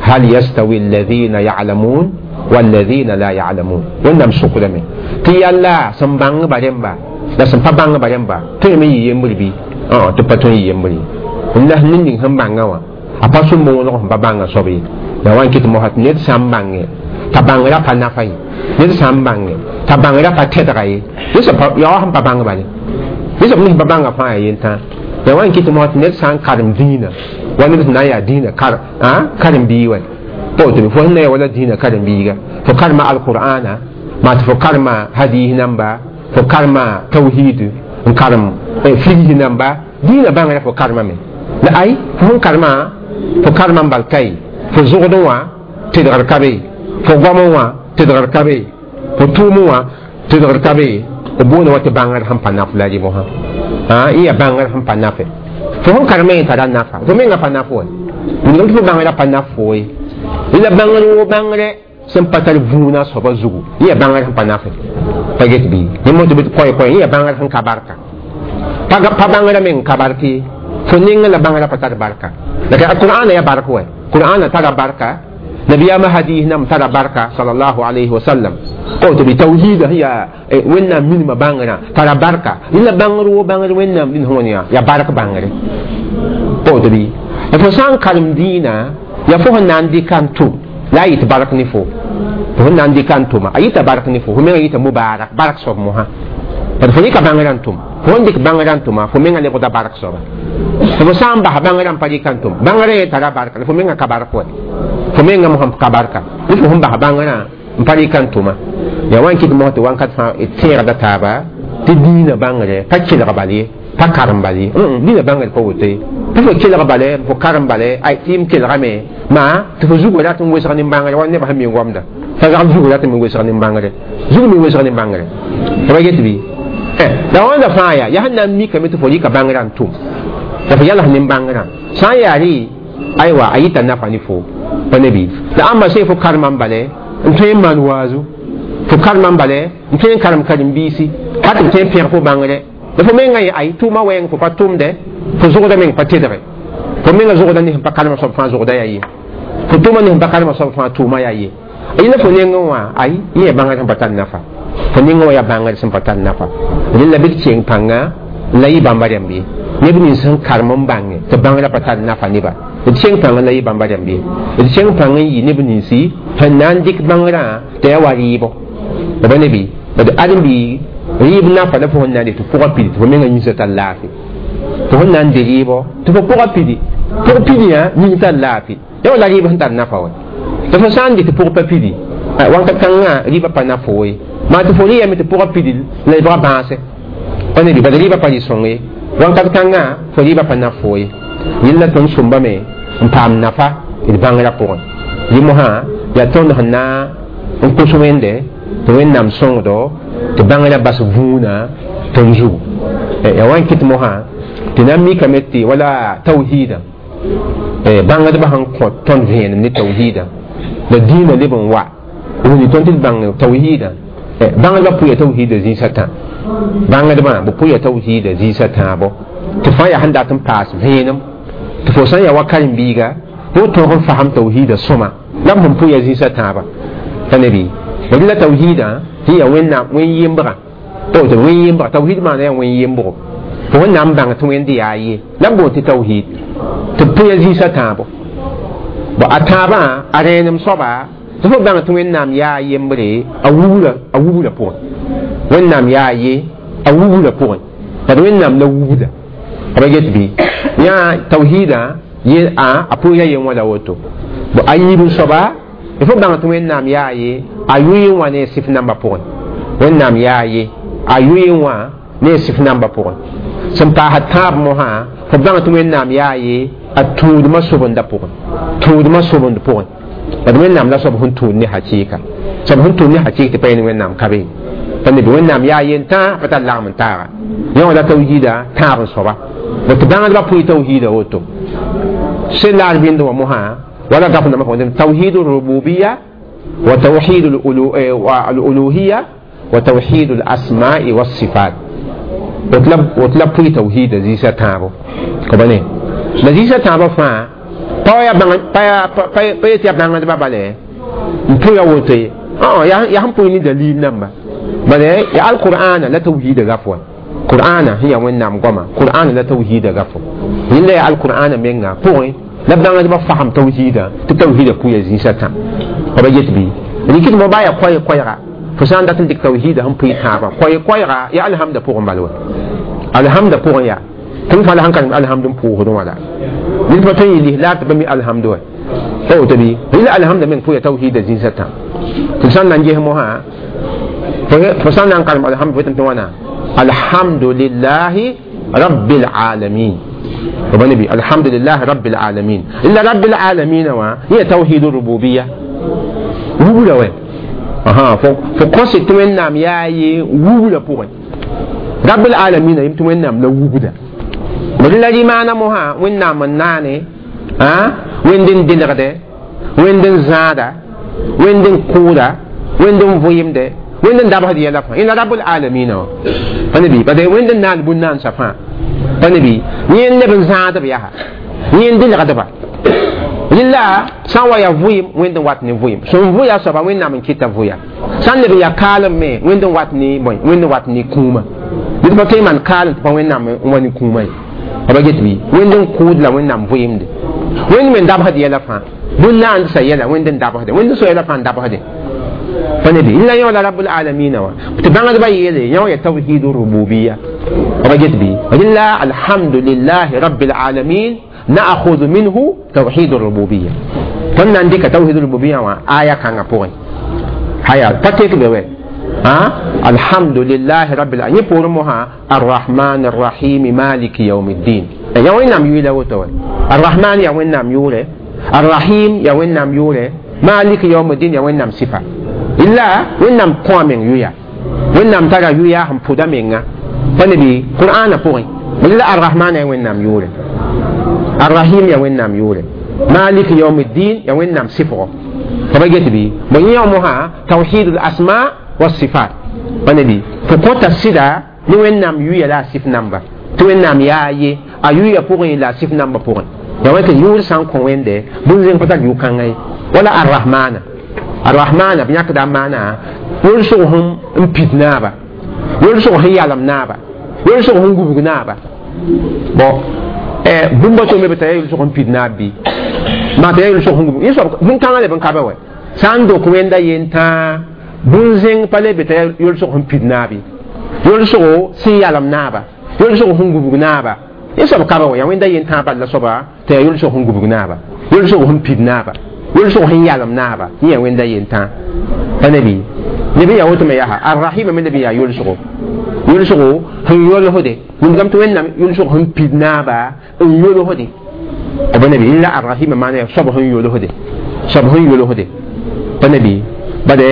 hal yastawi alladhina ya'lamun walladhina la ya'lamun wẽnnaam sʋkdame tɩ yalla sẽn bãngba rẽmba la sẽn pa bãngba rẽmba tõe me yɩ yembr bɩ tɩ pa tõe n yɩ yembr ye La ned ning sẽn bãngã wã a pa sũm wõlg sẽn pa bãngã soab ye la wa n kɩt mosã tɩ ned sã n bãnge t'a bãngrã pa nafa ye ned sã n bãnge t'a bãngrã pa tɛdga ye ya wa sẽn pa bãng bale ned sẽn pa bãnga fãa yaa yentã ya wa n kɩt mosã tɩ ned sã n karem dĩinã wa neb sẽn na n yaa dĩinã karen-biig wa pa woto fo sẽn na ya wala dĩinã karen-biiga fo karema alqur'ana maa tɩ fo karema hadis namba fo karema tawhid n karem figs namba dĩinã bãngrã fo karemame la ay fo sẽn karema fo karema n bal kai fo zʋgdẽ wã tedgr ka be fo goamẽ wã tedgr ka be fo tʋʋmẽ wã tedgr ka be b boonda wa tɩ bãngr sẽn pa naf la rɩ mosã y yaa bãngr sẽn pa nafe fo sẽn karema yẽ tara nafa fo menga pa naf wa wilgame tɩ fo bãngrã pa naf fo ye la bãngr wo bãngrɛ sẽn pa tar vũuna soaba zugu y yaa bãngr sẽn pa nafe pa get bɩ yẽ tɩ bɩ koɛ-koɛ y yaa bãngr sẽn ka barka pa bãngrã meng ka bark ye fo nengẽ la bãngrã pa tar barka la qur'ana ya bark wa qur'ana tara barka nabiyama hadis nam tara barka sallallahu alayhi wa sallam ko to bi tawhid ya wẽnnaam minima bãngrã tara barka la bãngr wo bãngr wẽnnaam dĩn sẽn ya ya bark bãngre ko to bi fo sã n karem dĩinã ya fo sẽn na n dɩka n tʋm la a yɩt bark ne fo fo sẽn na n dɩka n tʋma a yɩta bark ne fo fo menga yɩta mubarak bark soab mosã bad fo rɩka bãngrã n tʋm fo sẽn dɩk bãngrã n tʋma fo menga lebgda bark soaba fo sã n bas bãngrã n pa rɩka n tʋm bãngrã ye tara barka la fo menga ka bark wa fo menga mosã ka barka ne fo sẽn bas bãngrã n pa rɩka n tʋma ya wa n kɩt mosã tɩ wãnkat fãa d tẽegda taaba tɩ dĩinã bãngre pa kelg bal ye pa karem bal ye dĩinã bãngre pa woto ye pa fo kelg bale fo karem bale ay tɩ m kelgame maa tɩ fo zugã rat n wesg nin-bãngre wa nebã sẽn mi goamda fa zagl zugã rat n me wesg nin-bãngre zug me wesg nin-bãngre pa get bɩ la wãnda fãa yaa yaa sẽn na n mikame tɩ fo rɩka bãngrã n tʋm la fo yals nin-bãngrã sã n yaa rɩ aywa a yɩta nafa ne fo pa ne bɩ la ãmba sẽn fo karemã n bale n tõe n maan waazu fo karemã n bale n tõe n karem karen-biisi ka tɩ b tõe n pẽg fo bãngre la fo menga yẽ ay tʋʋmã wɛɛng fo pa tʋmdɛ fo zʋgda meng pa tedge fo menga zʋgda ne sẽn pa karemã soab fãa zʋgda yaa ye fo tʋʋma ne sẽn pa karemã soab fãa tʋʋma yaa ye yẽla fo nengẽ wã ay yẽ yaa bãngr sẽn pa tar nafa fo nengẽ wã yaa bãngr sẽn pa tar nafa rẽnd la bɩ d keng pãnga la yɩ bãmba rãmb ye neb nins sẽn karem n bãnge tɩ bãngrã pa tar nafa neba d keng pãngã la yɩ bãmba rãmb ye d keng pãng n yɩ neb ninsi sẽn na n dɩk bãngrã tɩ yaa wa rɩɩbo b ne bɩ d ãdem-biig rɩɩb nafa la fo sẽn na n dɩ tɩ pʋgã pidi tɩ fo menga yĩnsã tar laafɩ tɩ fo na n de rɩɩbɔ tɩ fo pʋgã pidi pʋg pidiyã yĩng tar laafɩ ya wala rɩɩb sẽn tar nafa wa tɩ fo sã n dɩ tɩ pʋg pa pidi wãnkat kãngã rɩɩbã pa naf fo ye maa tɩ fo rɩ yame tɩ pʋgã pidi la lebga bãase pa ne bɩ bad rɩɩbã pa rɩ sõng ye wãnkat kãngã fo rɩɩbã pa naf fo ye yẽlla tõnd sõmbame n paam nafa d bãngrã pʋgẽ rɩ mosã yaa tõnd sẽn na n kos wẽnde tɩ wẽnnaam sõngdo tɩ bãngrã bas vũuna tõnd zugu yaa wa n kɩt mosã tɩ na n mikame tɩ wala tawhiidã bãngdbã sẽn kõ tõnd vẽenem ne tawhiidã la dĩinã leb n wa wuni tõnd tɩ d bãng tawhiidã bãngdbã pʋya tawhiidã zĩisã tã bãngdbã b pʋya tawhiidã zĩisã tãabo tɩ fãa yaa sẽn dat n paas vẽenem tɩ fo sã n yaa wa karen-biiga fo tõog n fasem tawhiidã sõma la b sẽn pʋya zĩisã tãaba pa ne bɩ la tawhiidã sẽn yaa wẽnnaam wẽn-yembrã pa woto wẽn-yembrã tawhiid maana yaa wẽn-yembgo fo sẽn na n bãng tɩ wẽnd yaa ye la b boond tɩ tawhiid tɩ b pʋya zĩisã tãabo bo a tãabã a rẽenem soaba tɩ fo bãng tɩ wẽnnaam yaa yembre a wubra a wubra pʋgẽ wẽnnaam yaa ye a wubra pʋgẽ bad wẽnnaam la wubda b get bɩ yã tawhiidã ye a a pʋʋra yen wã la woto bo a yiib n soaba fo bãng tɩ wẽnnaam yaa ye a yʋɩ wã ne sɩf nambã pʋgẽ wẽnnaam yaa ye a yʋɩ wã ne sɩf nambã pʋgẽ sẽn paasd tãab mosã fo bãng tɩ wẽnnaam yaa ye a tũudmã sobenda pʋgẽ tũudmã sobend pʋgẽ bad wẽnnaam la soab sẽn tũud ne hakɩɩka soab sẽn tũud ne hakɩɩk tɩ pa yẽnd wẽnnaam ka be pa ne bɩ wẽnnaam yaa yen tãa pa tar lagem n taaga yẽ wã la tawhiida tãab n soaba tɩ bãngdbã pʋɩ tawhiida woto sẽn la d bĩnd wã mosã wala gaf nambã pʋgẽ tawhid rububiya wa tawhid al-uluhiya wa tawhid al-asma'i was-sifat woto la pʋɩ tawhiida zĩisã tãabo ka ba ne la zĩisã tãabã fãa pa yetɩ yaa bãngdbã bale n pʋya woto ye yaa sẽn pʋɩ ne dalil namba bale ya alqur'ana la tawhiida gaf wa Qur'ana hiya wẽnnaam goama Qur'ana la tawhiida gafo yẽnda yaa alqur'ana menga pʋgẽ la bãngdbã fasem tawhiida tɩ tawhiida pʋya zĩisã tã b yet bɩ rɩkd mo baa yaa koɛɛ koɛɛga fo sã n dat n dɩk tawhiida sẽn pʋɩ tãabã koɛɛ koɛɛga yaa alhamda pʋgẽ bal wa alhamda pʋgẽ yaa tɩ m fãa la sẽn karem alhamd n pʋʋsdẽ wã la ned pa tõe n yɩ lislaar tɩ ba mi alhamd wa pa woto bɩ rɩla alhamda meng pʋya tawhiida zĩisã tã tɩ sã n na n ges mosã fo sã n na n karem alhamd fo tɩ wãna alhamdulillahi rabbil alamin نبي الحمد لله رب العالمين إلا رب العالمين وا هي توحيد الربوبية وولا وين أها فقصة توين نام ياي وولا بوين رب العالمين يم توين نام لا وولا ولا دي معنا مها وين نام ناني ها وين دين دين وين دين زادا وين دين كودا وين دين فويم ده وين دين دابه دي يلا إن رب العالمين فنبي بعدين وين دين نان بنان سفا فنبي نين لبن زاد بيها نين دين غدبا لله سان يا فويم وين دين وات ني فويم سون فويا سبا وين نام كيتا فويا سان لبن يا كالم مي وين دين وات ني بوي وين دين وات ني كوما دي با تي مان كالم با وين نام وين كوما ba get bi وين دين كود لا وين نام فويم دي وين من دابه دي يلا فان بنان سيلا وين دين دابه دي وين دين سو يلا فان دابه دي فنبي إلا يولا رب العالمين تبان دبا يلي يوم توحيد الربوبية رجت بي إلا الحمد لله رب العالمين نأخذ منه توحيد الربوبية كنا عندك توحيد الربوبية آية كان بوين هيا تتك بوين ها الحمد لله رب العالمين بورمها الرحمن الرحيم مالك يوم الدين يا وين نام يولا وتوي الرحمن يا وين نام يولا الرحيم يا وين نام يولا مالك يوم الدين يا وين نام صفة إلا وين نام قوامين يويا وين نام ترى يويا هم بودا مينغا فنبي قرآن بوين إلا الرحمن يا وين نام يولا الرحيم يا وين نام يولا مالك يوم الدين يا وين نام صفة فبقيت بي من يومها توحيد الأسماء والصفات فنبي فقوت السيدة نوين نام يويا لا صف نمبر توين نام يا يي أيويا بوين لا صف نمبر بوين يا وين يور سان كوين ده بنزين فتاك يوكان ولا الرحمن الرحمن بنيك دامانا يلسوهم امبيدنابا يلسوهم يعلم نابا يلسوهم غوغنابا بو eh bumba to me bata yelsog n pid naab bɩ maa t'a yaa yel-sog sẽn gubg yẽ soab bũn-kãngã leb n ka ba wɛ sã n dok wẽnda yen tãa bũn-zẽng pa le be t'a yel-sog sẽn pid naab ye yel-sogo sẽn yalem naaba yel-sog sẽn gubg naaba yẽ soab ka ba wɛ yaa wẽnda yen tãa bal la soaba t'a yaa yel-sog sẽn gubg naaba yel-sog sẽn pid naaba yel-sog sẽn yalem naaba yẽ yaa wẽnda yen tãa pa ne bɩ neb n yaa woto me yaa arrahima me leb n yaa yel-sogo yel-sogo sẽn yolsde wĩndigame tɩ wẽnnaam yel-sog sẽn pid naaba n yolsde b nabi la arrahima maana yaa soab sẽn yolsde soab sẽn yolsde pa nabi bade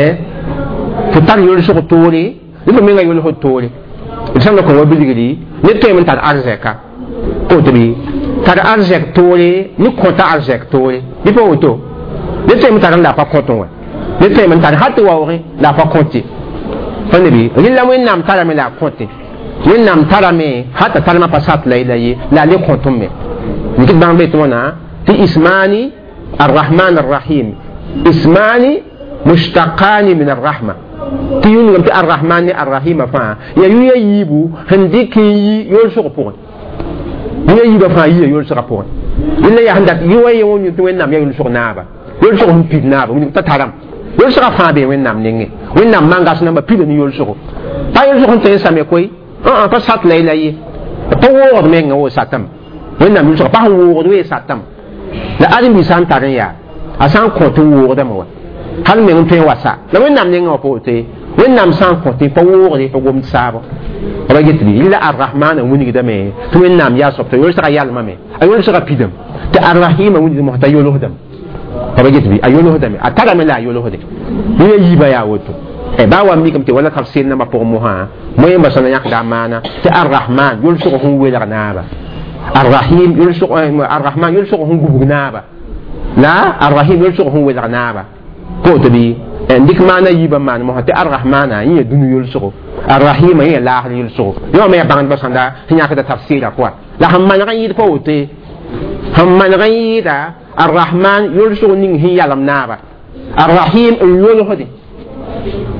fo tar yolsg toore ne fo menga yolsd toore d sãn la kõ wa bilgri ned tõeme n tar arzɛka woto bɩ tar arzɛk toore ne kõta arzɛk toore bɩ pa woto ned tõeme tar n la a pa kõtẽ wã ned tõeme n tar hal tɩ waoogẽ la a pa kõte pa nabi rẽla wẽnnaam tarame la a kõte wẽnnaam tarame hal t'a tarmã pa sat la la ye la a le kõtẽ me nikd bãng be tɩ wãna tɩ ismani arrahman arrahim ismani mushtaqani min arrahma tɩ yũngame tɩ arrahman ne arrahima fãa yaa yʋ-ya yiibu sẽn dɩk n yi yolsg pʋgẽ yʋ-ya yiibã fãa yia yolsgã pʋgẽ rẽnda yaa sẽn dat yʋ wa ye wã tɩ wẽnnaam yaa yolsg naaba yolsg sẽn pid naaba wĩndg t'a taram yolsgã fãa bee wẽnnaam nengẽ wẽnnaam mangas namba pida ne yolsgo pa yolsg sẽn tõe n same koe pa sat la la ye pa woogd mengã wo satame wẽnnaam yolsga pa sẽn woogd wee satame la ãdem-bi sã n tar n yaa a sã n kõt n woogdame wa hal meng n tõe n wa sa la wẽnnaam nengã wã pa woto ye wẽnnaam sã n kõtẽ pa woogde pa gomd saabo b get bɩ la arrahmana wilgdame tɩ wẽnnaam yaa soab t'a yolsga yalmame a yolsga pidame tɩ arrahima wilgd mos t'a yolsdame b get bɩ a yolsdame a tarame la a yolsde yẽ yiibã yaa woto baa wa mikame tɩ wala tafsir nambã pʋgẽ mosã moẽmba sã na yãkda a maana tɩ arrahman yolsg sẽn welg naaba arrahim yolsg arrahman yolsg sẽn gubg naaba la arrahim yolsg sẽn welg naaba koto bɩ n dɩk maana yiibã maan mosã tɩ arrahmana yẽ yaa dũni yolsgo arrahima yẽ yaa laasr yolsgo yõ me yaa bãngdbã sãnda sẽn yãkda tafsɩrã pʋga la sẽn maneg n yɩɩd pa woto ye sẽn maneg n yɩɩda arrahman yolsg ning sẽn yalem naaba arrahim n yolsde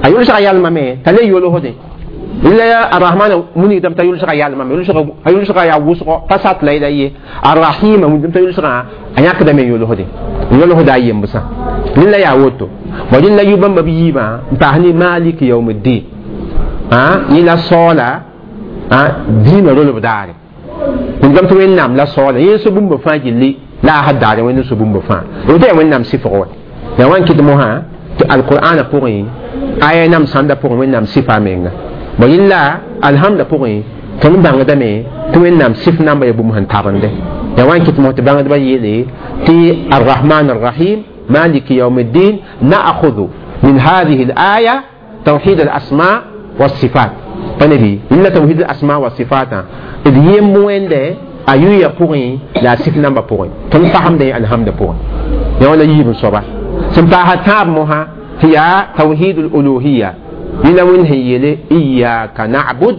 a yolsga yalmame t'a le yolsde لا الرحمن مني دم تيول سغا يالما يول سغا يول سغا يا وسغ فسات لا لا الرحيم من دم تيول سغا أن يقدم يول هدي يول هدي يمبسا لا يا وتو وجن لا يبم بيما تهني مالك يوم الدين ها إلى صلاة ها دين رول بدار من دم توين نام لا صلاة يسبب بفاجلي لا أحد دار وين يسبب بفا وده وين نام سيفه يا وين كده القرآن بقي آية نام ساندا بقي وين نام سيفا مينغا وإلا الحمد بقي تون بانغ دمي توين نام سيف نام بيبوم هن تابنده يا وين كده مه تبانغ دبا يلي تي الرحمن الرحيم مالك يوم الدين نأخذ من هذه الآية توحيد الأسماء والصفات فنبي إلا توحيد الأسماء والصفات إذ يموين ده أيويا بقي لا سيف نام بقي تون فهم ده الحمد بقي يا ولا يجيب صباح سمتاها مها هي توحيد الألوهية لنوين هي إياك نعبد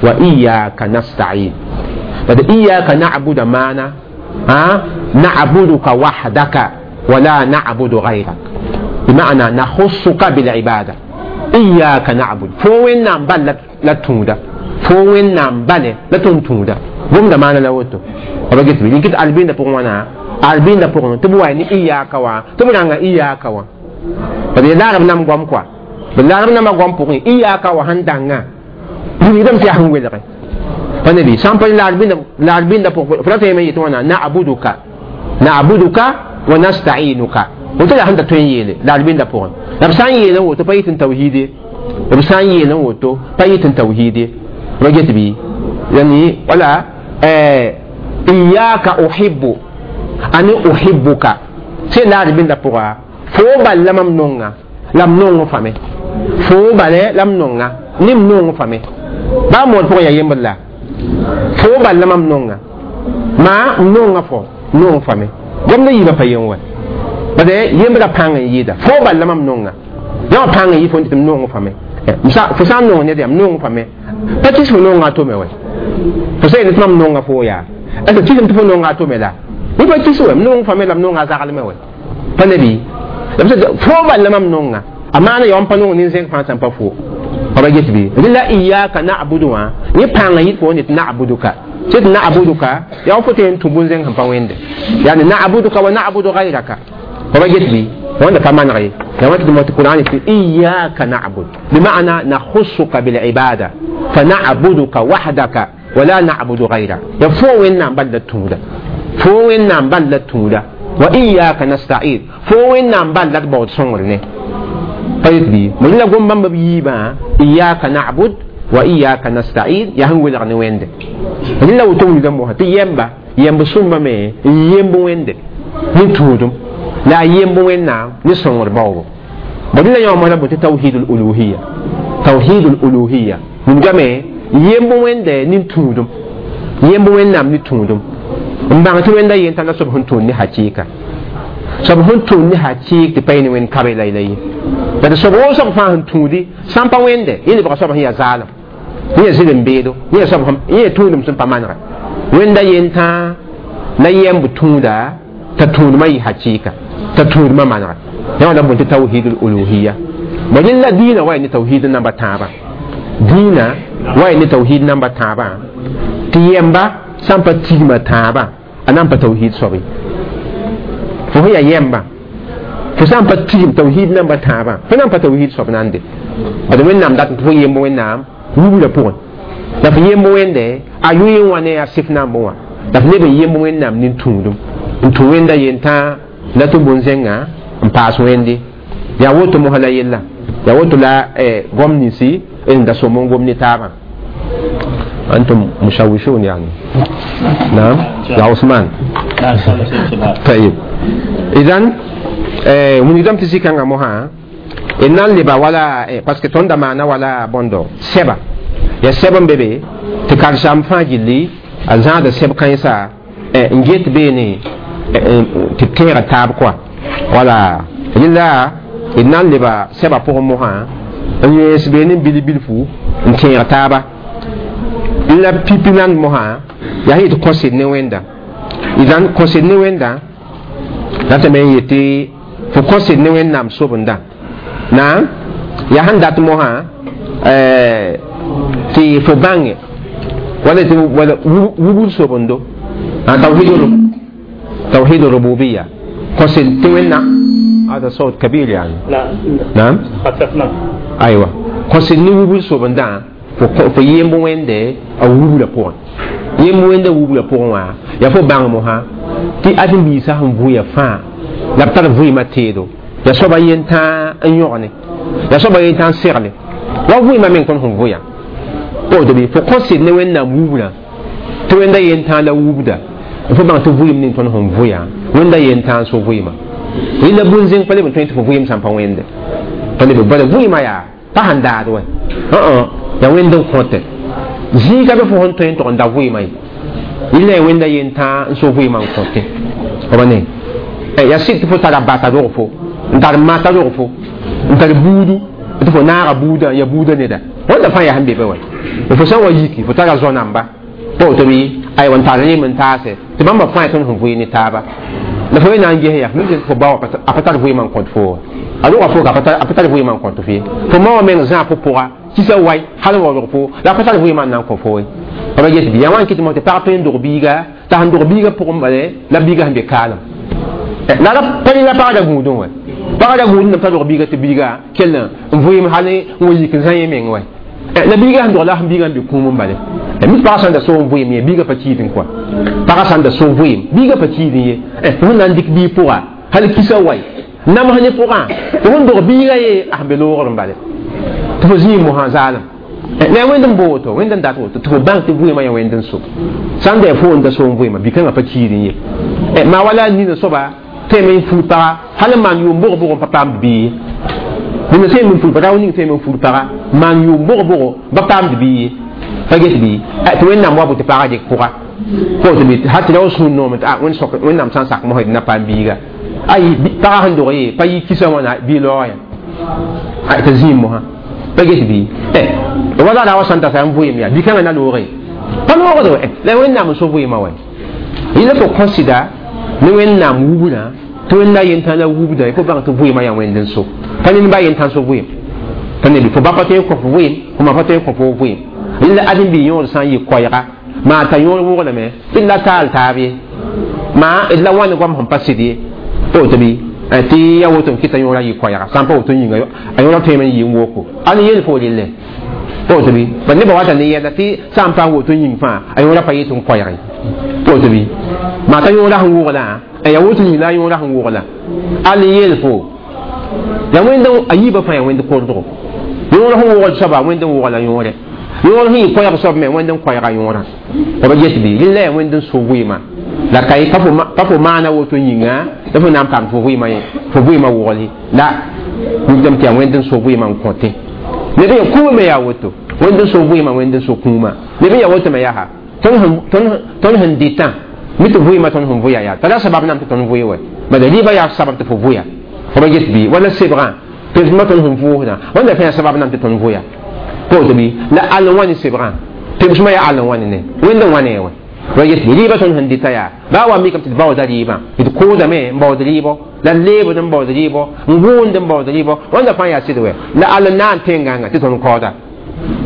وإياك نستعين بعد إياك نعبد معنا ها نعبدك وحدك ولا نعبد غيرك بمعنى نخصك بالعبادة إياك نعبد فوين نعم بل لا توندا فوين نعم بل لا توندا بوم ده معنا لوتو أبغيت بي لكن ألبين ده بقولنا ألبين ده بقولنا تبوا إني إياك وا تبوا نعم إياك وا بدي لا رب نام قام كوا بدي لا رب نام قام بقولي إياك وا هندعنا بنيدم تيهم ويلك فنبي سامبل لا ألبين لا ألبين ده بقول فلا تيجي يتوانا نعبدك نعبدك ونستعينك وتلا هند تونيله لا ألبين ده بقول لبسان يله وتو بيت توحيدي لبسان يله وتو بيت توحيدي رجعت بي يعني ولا إيه إياك أحب أنا أحبك سي لا ألبين ده بقول فوبا لم نونغا لم نونغ فمي فوبا لم نونغا نم نونغ فمي با مول فوق يا يمبلا فوبا لم نونغا ما نونغا فو نونغ فمي قمنا يبا فيون وين بس يمبلا بانغ يدا فوبا لم نونغا يا بانغ يفون تم نونغ فمي مسا فسان نونغ ندي نونغ فمي باتيس نونغا تو مي وين فسي نتمم نونغا فو يا أنت تيجي تفو نونغا تو مي لا يبا تيسو نونغ فمي لم نونغا زغل مي وين فنبي فوبا لم نونغا أمانة يوم بانون نينزين فانسان بفو أبغيت بي لا إياك نعبد وا نبانغ يفون نعبدك سيد نعبدك يا فتين تبون زين هم بويند يعني نعبدك ونعبد غيرك أبغيت بي وانا كمان غير لما تدمت القرآن في إياك نعبد بمعنى نخصك بالعبادة فنعبدك وحدك ولا نعبد غيرك يا فوين نعم بلد توندا فوين نعم بلد توندا وإياك نستعين فوين نعم بلد بود صنغرني طيب بي من لا قوم بام بيبا إياك نعبد وإياك نستعين يا هو لغني ويند من لا وتوم دموها تيمبا يمب سومبا مي يمب ويند نتودم لا يمب وين نعم نصنغر باو من لا يوم رب توحيد الألوهية توحيد الألوهية من جمع يمب ويند نتودم يمب وين نعم نتودم mbang ti wenda yen tala sob hun tun ni hakika sob hun tun ni hakik ti payni wen kabe lay lay da sob wo sob fa hun tudi sampa wende yeli ba sob hiya zalam ni zilin bedo ni sob hum ni tunum sun pamanra wenda yen ta la yem butunda ta tun mai hakika ta tun ma manra ya wala bunti tauhidul uluhiyya bajin la dina wa ni tauhid namba taba dina wa ni tauhid namba taba ti yemba sampa tigma taba anan pa tauhid sobi fo ya yemba fo sampa tigm tauhid namba taba fo nan pa tauhid sob nande bad wẽnnaam dat tɩ fo yemb wẽnnaam wubla pʋgẽ la fo yemb wẽnde a yʋɩ wã ne a sɩf namb wã la fo leb n yemb wẽnnaam nin-tũudum n tũ wẽnda yentã la tɩ bõn-zẽnga n paas wẽnde yaa woto mosã la yella yaa woto la gom ninsi n da sõm n gom ne taabã أنتم مشوشون يعني نعم يا عثمان طيب إذن من يدم تسيكا موها إن لبا ولا parce que ton damana wala bondo seba ya seba bebe te karsam fa jilli a zãada seb kãensa n get beene tɩ tẽega taab kɔa wala yella d na n leba sɛba pʋgẽ mosã n yẽes beene n bil bilfu n tẽeg taaba la pipi nan mosã yaa yetɩ kõsed ne wẽnda idan kõsed ne wẽnda ratame n yetɩ fo kõsed ne wẽnnaam sobenda na yaa sẽn dat mosã Tɩ fo bãnge wala tɩ wala wubr sobendo توحيد توحيد الربوبية قصد تونا هذا صوت كبير يعني. لا. نعم. خففنا. أيوة قصد نوبل صوبندا فيم بويند أو وبل بون يم بويند وبل بون يا فو بان موها تي أدم بيسا هم بويا فا لا بتر بوي ما تيدو يا صوبا ينتا أنيوني يا صوبا ينتا سيرلي لا بوي ما من كون هم بويا أو دبي فو قصد نوين نام tɩ wẽnda yen-tãag la wubda fo bãng tɩ vɩɩm ning tõnd sẽn vʋya wẽnda yen-tãag so vɩɩmã rẽnda bũn-zẽng pa leb n tõe tɩ fo vɩɩm sã n pa wẽnde pa leb bala vɩɩmã yaa pa sẽn daad wɛ yaa wẽnd n kõte zĩiga be fo sẽn tõe n tog n da vɩɩmã ye rẽnda yaa wẽnda yen-tãag n so vɩɩmã n kõte b ne yaa sɩd tɩ fo tara bata rog fo n tar mata rog fo n tar buudu tɩ fo naaga buudã yaa buudã neda wẽnda fãa yaa sẽn be be wɛ fo sã n wa yiki fo tara zõ-namba woto bɩ aywa n tar rem n taase tɩ bãmba fãa tõnd sẽn vɩɩ ne taaba la fo na n ges yaa fo bao a pa tar vɩɩmã n kõt fo a roga fo a pa tar vɩɩmã n kõt fo ye fo ma wã meng zãag fo pʋga kisa wai hal n waoog fo la a pa tar vɩɩmã n na n kõ fo ye b get bɩ yaa wã n kɩt tɩ pag tõe n dog biiga t'a sẽn dog biiga pʋgẽ bale la biiga sẽn be kaalem la pa la pagda gũudẽ wɛ pagda gũudẽ pa dog biiga tɩ biiga kell n vɩɩm hal n wa yik n zã yẽ meng wɛ la biiga sẽn dog la sẽn biiga n be kũum n bale mi pagã sãn da so n vɩɩm ye biiga pa kiidẽ kɔa pagã sãn da so vɩɩm biiga pa kiidẽ ye fo na n dɩk biig pʋga hal kisa wai nams ne pʋgã tɩ fõn dog biiga ye a sẽn be loogr n bale tɩ fo zĩig mosã zaalem la wẽnd n booto wẽnd n dat woto tɩ fo bãng tɩ vɩɩmã yaa wẽnd n so sã n da fo n da so n vɩɩmã bi-kãngã pa kiidẽ ye maa wala nina soaba tõeme n fuud paga hal n maan yʋʋm bʋg-bʋg n pa paamd bii ye nina tõeme n fuud paga rao ning tõeme n fuud paga maan yʋʋm bʋg-bʋgo ba paamd bii ye pa get bɩ tɩ wẽnnaam wa bʋ tɩ pagã dɩk pʋga fo tɩ bɩ hal tɩ ra sũur noome tɩ wẽnnaam sã n sak mosã d na paam biiga ay pagã sẽn dog ye pa yɩ kisa wãna bɩ laoog yã t'a zĩig mosã pa get bɩ wala ra wa sãn ta sa n vɩɩm yaa bi-kãngã na looge pa loogd wɛ la wẽnnaam n so vɩɩmã wɛ yẽla fo kõsɩda ne wẽnnaam wubdã tɩ wẽnda yentã la wubda fo bãng tɩ vɩɩmã yaa wẽnd n so pa ned ba yentã so vɩɩm pa ned fo ba pa tõe n kõ fo vɩɩm fo ma pa tõe n kõ fo vɩɩm la ãdem-bi yõod sã n yɩ koɛɛga maa t'a yõod woglame tɩ la taal taab ye maa d la wãn goam sẽn pa sɩd ye pa woto bɩ tɩ ya woto n kɩta yõodã yɩ koɛɛga sã n pa woto yĩnga a yõodã tõeme n yɩ n woko ãn yel fo relle pa woto bɩ ba nebã wata ne yɛla tɩ sã n pa woto yĩng fãa a yõodã pa yet n koɛɛge pa woto bɩ maa t'a yõodã sẽn woglã ya woto yĩng la a yõodã sẽn woglã al yel fo ya wẽnd a yiibã fãa ya wẽnd kordgo yõod sẽn wogl soaba wẽnd n wogla yõore yõor sẽn yɩ koɛɛg soab me wẽnd n koɛɛga yõorã b get bɩ rẽn la yaa wẽnd n so vɩɩmã la ka pa fo maana woto yĩnga la fo na n paam fo vɩɩmã fo vɩɩmã wogl la mikdame tɩ yaa wẽnd n so vɩɩmã n kõte neb yaa kũumã me yaa woto wẽnd n so vɩɩmã wẽnd n so kũumã neb yaa woto me yaa tõnd sẽn dɩtã mi tɩ vɩɩmã tõnd sẽn vʋya yaa tara sabab nam tɩ tõnd vʋɩ wɛ bala rɩɩbã yaa sabab tɩ fo vʋya fo ba get bɩ wala sebgã pemsmã tõnd sẽn vʋʋsdã wẽnda fãa yaa sabab nam tɩ tõnd vʋya woto bɩ la all n wa ne sebgã pemsmã yaa all n wa ne ne wẽnd n wa ne wɛ wa get bɩ rɩɩbã tõnd sẽn dɩta yaa baa wa mikame tɩ d baooda rɩɩbã d koodame n baood rɩɩbɔ la leebd n baood rɩɩbɔ n gũund n baood rɩɩbɔ wẽnda fãa yaa sɩd wɛ la all n na n tẽngãngã tɩ tõnd kaooda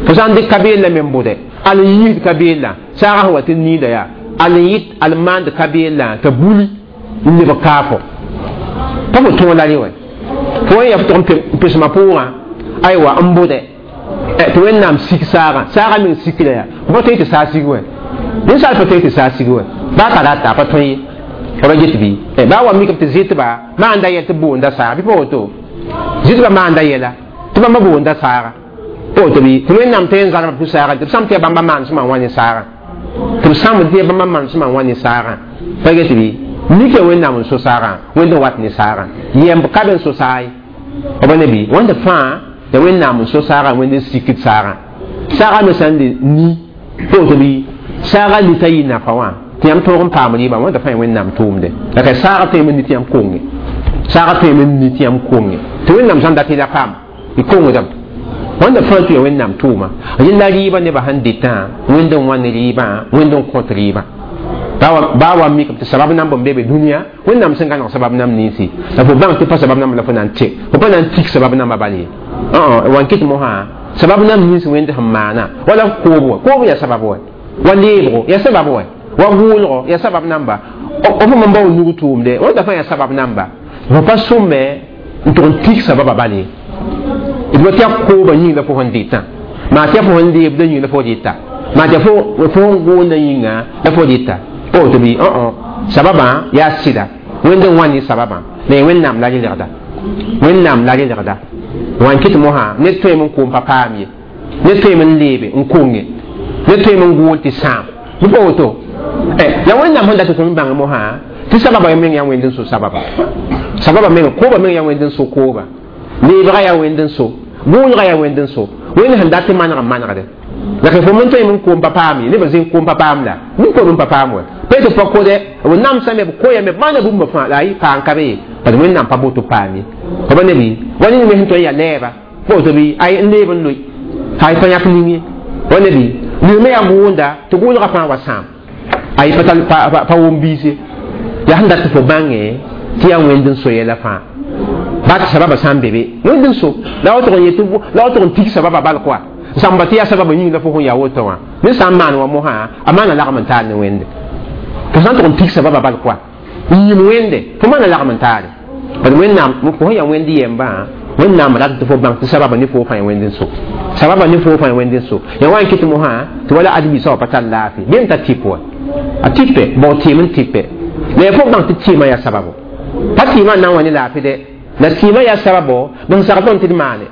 fo sã n dɩk ka-beellã me n bʋdɛ all n yiisd ka-beellã saagã sẽn wa tɩ niida yaa all n yɩt all n maand ka-beellã t'a buli n lebg kaafo pa fo tõog la rẽ wɛ fo wẽn yaa fo tʋg n pesmã pʋʋgã aywa n bʋdɛ tɩ wẽnnaam sik saagã saagã meng sikra yaa fo pa tõe tɩ saag sig wɛ ninsaal pa tõe tɩ saag sig wɛ baa ka rata a pa tõe ye fo ba get bɩ baa wa mikame tɩ zɩtba maanda yɛl tɩ boonda saaga bɩ pa woto zɩtba maanda yɛla tɩ bãmba boonda saaga pa woto bɩ tɩ wẽnnaam tõe n zãlma pʋ saagã tɩ b sãm tɩ yaa bãmba maanesmã n wa ne saagã tɩ b sãmd tɩ yaa bãmba maanesmã n wa ne saagã pa get bɩ nika wẽnnaam n so saagã wẽnd n wat ne saagã yɛmb ka be n so saag ye b ne bɩ wẽnd fãa ya wẽnnaam n so saagã wẽnd n sikd saagã saagã me sã n le ni pa woto bɩ saagã nita yɩ nafa wã tɩ yãmb tõog n paam rɩɩbã wẽnda fãa wẽnnaam tʋʋmde la ka saagã tõeme ni tɩ yãmb konge saagã tõeme ni tɩ yãmb konge tɩ wẽnnaam sãn dat la paam y kongdame wẽnda fãa tɩ ya wẽnnaam tʋʋma yẽla rɩɩbã nebã sẽn dɩtã wẽnd n wa ne rɩɩbã wẽnd n kõt rɩɩbã baa wa mikame tɩ sabab namb n be be dũniyã wẽnnaam sẽn gãneg sabab namb ninsi la fo bãng tɩ pa sabab namba la fo na n tɩ fo pa na n tik sabab namba bal ye wan kɩt mosã Sabab nam nins wẽnd sẽn maana wala koob wa koob yaa sabab wa wa leebgo yaa sabab wa wa gʋʋlgo yaa sabab namba f n bao nug tʋʋmde wẽnda fãa yaa sabab namba fo pa sõme n tʋg n tik sababa bal ye d wa tɩ yaa kooba yĩng la fo sẽn dɩtã maa tɩ yaa fo sẽn leebda yĩng la fo dɩta maa tɩ fo sẽn gʋʋnda yĩnga la fo dɩta woto bɩ sababã yaa sɩda wẽnd n wa ne sababã la ya wẽnnaam la relgda wẽnnaam la relgda wã n kɩt mosã ned tõeme n koom pa paam ye ned tõeme n leebe n konge ned tõeme n gʋʋl tɩ sãam bɩ pa woto la wẽnnaam sẽn dat tɩ tõnd bãng mosã tɩ sababa meng yaa wẽnd n so sababa sababa meng kooba meng yaa wẽnd n so kooba leebga yaa wẽnd n so gʋʋlga yaa wẽnd n so wẽnd sẽn dat tɩ maneg n manegde la fo men tõeme n koom pa paam ye nebã zẽn koom pa paam la nin koom n pa paam wa pa tɩ pa kode b namsame b koyame b maana bũmba fãa la a yɩ paam ka be ye parce wẽnnaam pa boto paam ye fa ba nebi wa ning me sẽn tõe n yaa lɛɛba woto bɩ ay n leeb n loe ay pa yãk ning ye wa nebi ned me yaa gʋʋnda tɩ gʋʋlgã fãa wa sãam ay pa pa wʋm biis ye yaa sẽn dat tɩ fo bãnge tɩ yaa wẽnd n so yɛla fãa baa tɩ sababa sã n be be wẽnd n so la wa tʋg n yet la wa tʋg n tik sababa bal koa sãmba tɩ yaa sababa yĩng la fo sẽn yaa woto wã ned sã n maan wa mosã a maana lagm n taar ne wẽnde tɩ sã n tʋg n tik sababa bal koa n yĩm wẽnde fo maana lagm n taare parce wẽnnaam fo sẽn yaa wẽnd yɛmbã wẽnnaam rat tɩ fo bãng tɩ sababa ne fo fãa ya wẽnd n so sababa ne fo fãa ya wẽnd n so ya wa n kɩt mosã tɩ wala ad-biisã wa pa tar laafɩ bem t'a tɩp wa a tɩpe bao tɩɩm n tɩpe la ya fo bãng tɩ tɩɩmã yaa sababo pa tɩɩmã n na n wa ne laafɩ dɛ la tɩɩmã yaa sababo b sẽn sagl tõnd tɩ d maane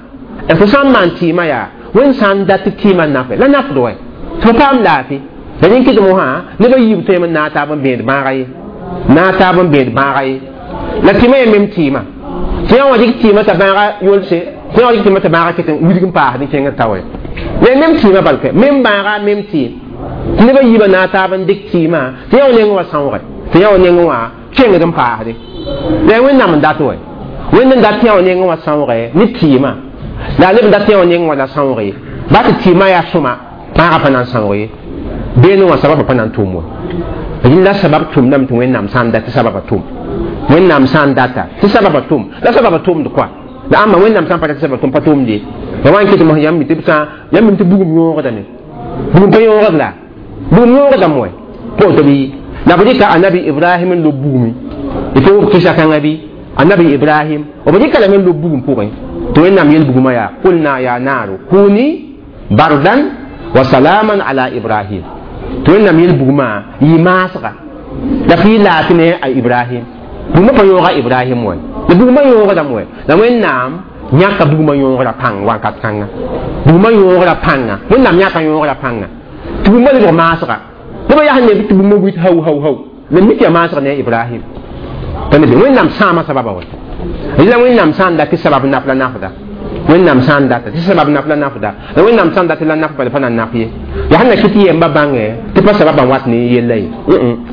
fo sã n maan tɩɩmã yaa wẽnd sã n dat tɩ tɩɩmã nafe la nafd wɛ tɩ fo paam laafɩ la rẽn kɩt mosã nebã yiib tõeme n naag taab n bẽed bãaga ye naag taab n bẽed bãaga ye la tɩɩmã yaa mem tɩɩmã tɩ yã wã dɩk tɩɩmã t'a bãaga yolse tɩ yã wã dɩk tɩɩmã t'a bãaga ket n wilg n paasd n kẽngd ta wɛ la mem tɩɩmã balkɛ mem bãaga mem tɩɩm tɩ nebã yiibã naag taab n dɩk tɩɩmã tɩ yã wã nengẽ wã sãoogɛ tɩ yã wã nengẽ wã kẽngd n paasde la wẽnnaam n dat wɛ wẽnd n dat tɩ yã wã nengẽ wã sãoogɛ ne tɩɩmã la a leb n dat tɩ yã wã nengẽ wã la sãoog ye baa tɩ tɩɩmã yaa sõma bãagã pa na n sãoog ye beene wã sababã pa na n tʋm wa rẽnd la sabab tʋmdame tɩ wẽnnaam sã n dat tɩ sababã tʋm wẽnnaam sã n data tɩ sababã tʋm la sababã tʋmd koa la ãmba wẽnnaam sã n pa dat tɩ sababa tʋm pa tʋmd ye ya wa n kɩt mos yãmb tɩ b sã yãmb tɩ bugum yõogdame bugum pa yõogd la bugum yõogdame wɛ pa woto bɩ la b rɩka anabi ibrahim n lob bugumi d fo b kɩsa kãngã bɩ anabi ibrahim b rɩka lame n lob bugum pʋgẽ tɩ wẽnnaam yel bugumã yaa qulna ya naaru kuni bardan wa salaman ala ibrahim tɩ wẽnnaam yel bugumã yɩ maasga la f yɩ laafɩ ne a ibrahim bugumã pa yõoga ibrahim wɛ la bugumã yõogdame wɛ la wẽnnaam yãka bugumã yõogra pãng wakat kãnga bugumã yõogra pãnga wẽnnaam yãka yõogra pãnga tɩ bugumã lebg maasga nebã yaa sẽn ne tɩ bugumã wit hau hau hau la mik yaa maasg ne ibrahim tɩ nebe wẽnnaam sãama sababa wɛ la wẽnnaam sã n dat tɩ sabab naf la nafda wẽnnaam sã n data tɩ sabab naf la nafda la wẽnnaam sã n dat la naf bala pa na n naf ye yaa sẽn na kɩ tɩ yɛmba bãngɛ tɩ pa sababã wat ne yella ye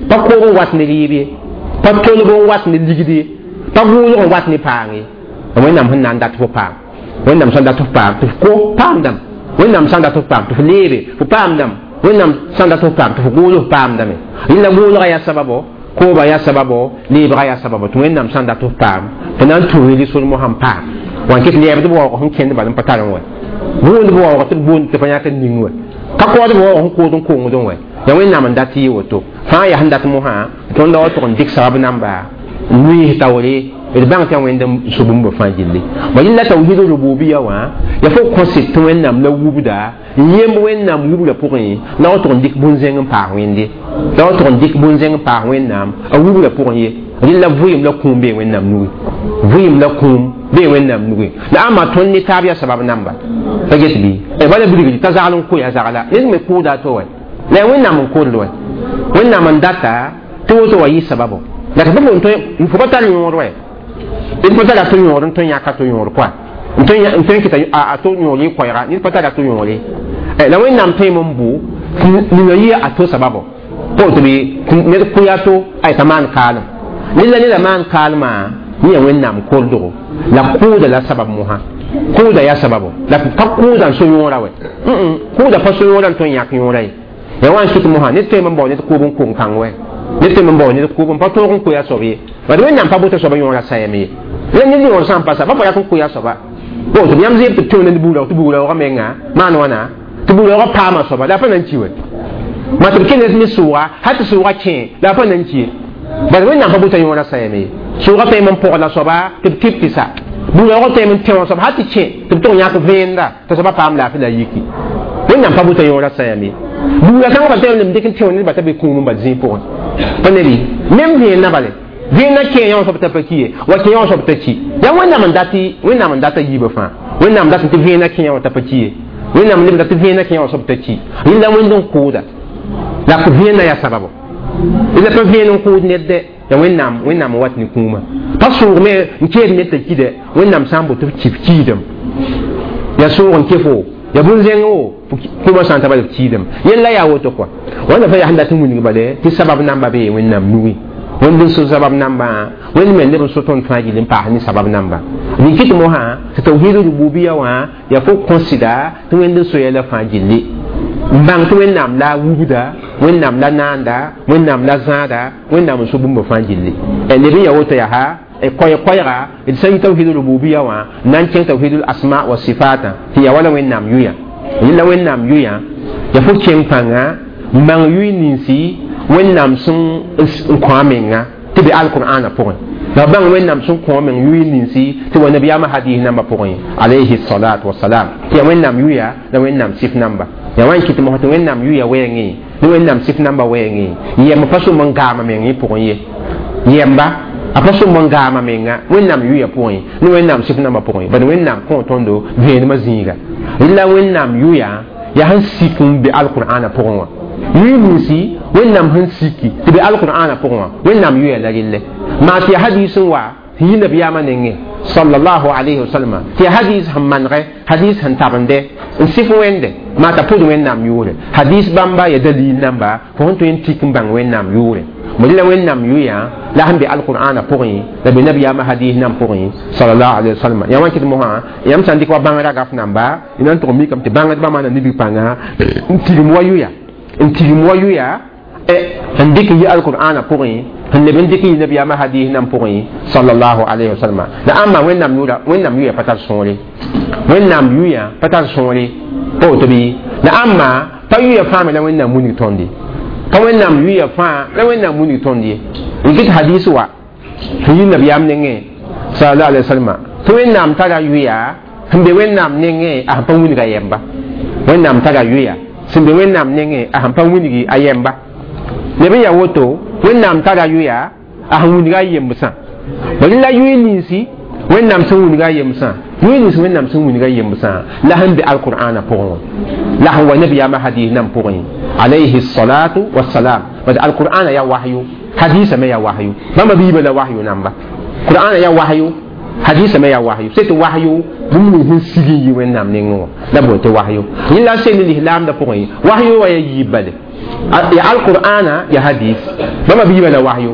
pa koog n wat ne rɩɩb ye pa tolg n wat ne ligd ye pa gʋʋlg n wat ne paang ye wẽnnaam sẽn na n dat fo paam wẽnnaam sã n dat f paam tɩ f ko paamdame wẽnnaam sã n dat f paam tɩ f leebe fo paamdame wẽnnaam sã n dat f paam tɩ f gʋʋl f paamdame rẽnd la gʋʋlga yaa sababo kooba yaa sababo leebga yaa sababo tɩ wẽnnaam sã n dat f paam tɩ na n tũus rɩ-sor mosã n paam wã n kɩt lɛɛbd b waoog sẽn kẽnd bal n pa tar n wɛ gũud b waoog tɩ b boond tɩ pa yãk n ning wɛ ka kood b waoog sẽn kood n kongd n wɛ yaa wẽnnaam n dat yɩ woto fãa yaa sẽn dat mosã tõnd la wa tʋg n dɩk sabab namba n nuiis taoore d bãng tɩ yaa wẽnd n so bũmba fãa gilli ma yẽla tawhid rububiya wã yaa fo kõset tɩ wẽnnaam la wubda n yemb wẽnnaam wubra pʋgẽ la wa tʋg n dɩk bũn-zẽng n paas wẽnde la wa tʋg n dɩk bũn-zẽng n paas wẽnnaam a wubra pʋgẽ ye rẽnd la vɩɩm la kũum bee wẽnnaam nugi vɩɩm la kũum bee wẽnnaam nugi la ãmba tõnd ne taab yaa sabab namba pa get bɩ bala bilgri t'a zagl n koya zagla ned me kʋʋda a to wɛ la yaa wẽnnaam n kʋʋd wɛ wẽnnaam n data tɩ woto wa yɩ sababo la tɩ fo pa tar yõod wɛ d pa tara to yõod n tõe n yãka to yõod koa n tõe n kɩta a to yõod y koɛɛga ned pa tara to yõod la wẽnnaam tõeme n bʋ nina yɩ a to sababo pa woto bɩ ned kʋya to ay t'a maan kaalem ned la neda maan kaalmã yẽ yaa wẽnnaam kordgo la kʋʋda la sabab mosã kʋʋda yaa sababo la pa kʋʋda n so yõora wɛ kʋʋda pa so yõora n tõe n yãk yõora ye ya wa n kɩt mosã ned tõeme n bao ned kʋʋb n kong kãng wɛ ned tõeme n bao ned kʋʋb n pa tõog n koe a soab ye bad wẽnnaam pa bota soaba yõora sayame ye la ned yõor sã n pa sa pa pa rat n koe a soaba po tɩ yãmb zɩɩb tɩ b tũ ne buugra tɩ buugra menga maan wãna tɩ buugra paama soaba la a pa na n ki we ma tɩ b kẽnd ne sʋʋga hal tɩ sʋʋga kẽ la a pa na n ki ye bala wẽnnaam pa buta yõora sayame ye sʋʋga tõeme n pɔgla soaba tɩ b tɩb tɩ sa buugra tõeme n tẽ wã soaba hal tɩ kẽ tɩ b tʋg yãk vẽenda t'a soaba paam laafɩ la yiki wẽnnaam pa buta yõora sayame ye buugra kãngã pa tõeme n dɩk n tẽ wã nedbã t'a be kũum n ba zĩig pʋgẽ pa ne bɩ mem vẽenã bale vẽenã kẽ yã wã soab t'a pa ki ye wa kẽ yã wã soab t'a ki yaa wẽnnaam n dat wẽnnaam n data yiibã fãa wẽnnaam dat tɩ vẽenã kẽ yã wã t'a pa ki ye wẽnnaam neb dat tɩ vẽenã kẽ yã wã soab t'a ki rẽnda wẽnd n kʋʋda la vẽenã yaa sababo la pa vẽen n kʋʋd ned dɛ ya wẽnnaam wẽnnaam n wat ne kũumã pa sʋʋg me n keed ned t'a kidɛ wẽnnaam sã n boto b kɩ b kiidem ya sʋʋg n ke fo ya bũn-zẽng o kũumã sã n ta bala b kiidem yella yaa woto kɔa wãnda fa yaa sẽn dat n wilg bale tɩ sabab namba bee wẽnnaam nugi wẽnd n so sabab namba wẽnd me neb n so tõnd fãa gill n paas ne sabab namba rɩ kɩt mosã tɩ tawhid rububiya wã yaa fo kõsɩda tɩ wẽnd n so yɛla fãa gilli n bãng tɩ wẽnnaam la wubda wẽnnaam la naanda wẽnnaam la zãada wẽnnaam n so bũmba fãa gilli neb n ya woto yaa koɛɛ-koɛɛga d sã n yi tawhid rububiya wã n na n kẽng tawhid asma wa sifatã tɩ ya wala wẽnnaam yʋya yẽla wẽnnaam yʋya ya fo kẽng pãnga n bãng yʋy ninsi wẽnnaam sẽn n kõ a menga tɩ be alqur'ana pʋgẽ la bãng wẽnnaam sẽn kõ a meng yʋy ninsi tɩ wa nabiyaamã hadis nambã pʋgẽ alayhi salatu wasalam tɩ ya wẽnnaam yʋya la wẽnnaam sɩf namba ya wa n kɩt mosã tɩ wẽnnaam yʋya wɛɛngẽ ne wẽnnaam sɩf namba wɛɛngẽ yɛmb pa sõm n gaama meng pʋgẽ ye yɛmba a pa sõm n gaama menga wẽnnaam yʋya pʋgẽ ne wẽnnaam sɩf nambã pʋgẽ bad wẽnnaam kõ tõndo vẽenemã zĩiga la wẽnnaam yʋya yaa sẽn sik n be alqur'ana pʋgẽ wã yʋy ninsi wẽnnaam sẽn siki tɩ be alqur'ana pʋgẽ wã wẽnnaam yʋya la relle maa tɩ ya hadis n wa sẽn yi nabiyaamã nengẽ sallallahu alayhi wa sallam tɩ ya hadis sẽn manegɛ hadis sẽn tabende n sɩf wẽnde maa t'a pʋd wẽnnaam yʋʋre hadis bãmba ya dalil namba fo sẽn tõe n tik n bãng wẽnnaam yʋʋre mo la wẽnnaam yʋya la sẽn be alqur'ana pʋgẽ la be nabiyaamã hadis nan pʋgẽ sallallahu alayhi wa sallam ya wã kɩt mosã yãmb sã n dɩk wa bãng ragaf namba y na n tʋg mikame tɩ bãngdbã maana nibg pãnga n tigim wa yʋya n tigim wa yʋya n dɩk n yi alqur'ana pʋgẽ n leb n dɩk n yi nabiyaamã hadis nan pʋgẽ sallallahu alayhi wa sallam la ãmba wẽnnaam yʋra wẽnnaam yʋya pa tar sõore wẽnnaam yʋya pa tar sõore pa woto bɩ la ãmba pa yʋya fãa me la wẽnnaam wilg tõnd ye pa wẽnnaam yʋya fãa la wẽnnaam wilg tõnd ye n kɩt hadis wa sẽn yi nabiyaam nengẽ sallallahu alayhi wa sallam tɩ wẽnnaam tara yʋya sẽn be wẽnnaam nengẽ a sẽn pa wilg a yɛmba wẽnnaam tara yʋya sẽn be wẽnnaam nengẽ a sẽn pa wilgi a yɛmba neb n yaa woto wẽnnaam tara yʋya a sẽn wilga a yembsã bala la yʋy ninsi wẽnnaam sẽn wilga a yembsã yʋy nins wẽnnaam sẽn wilga a yembsã la sẽn be alqur'ana pʋgẽ wã la sẽn wa nabiyaamã hadis nan pʋgẽ alayhi salatu wassalam bad alqur'ana ya wahyu hadisa me ya wahyu bãmba biibã la wahyu namba qur'ana ya wahyu hadisa me ya wahyu c'est wahyu bũmb nins sẽn sig n yi wẽnnaam nengẽ wã la boon tɩ wahyu yẽ la sel ne lislaamdã pʋgẽ wahyu wa ya yiib bale ya alqur'ana ya hadis bãmba biibã la wahyu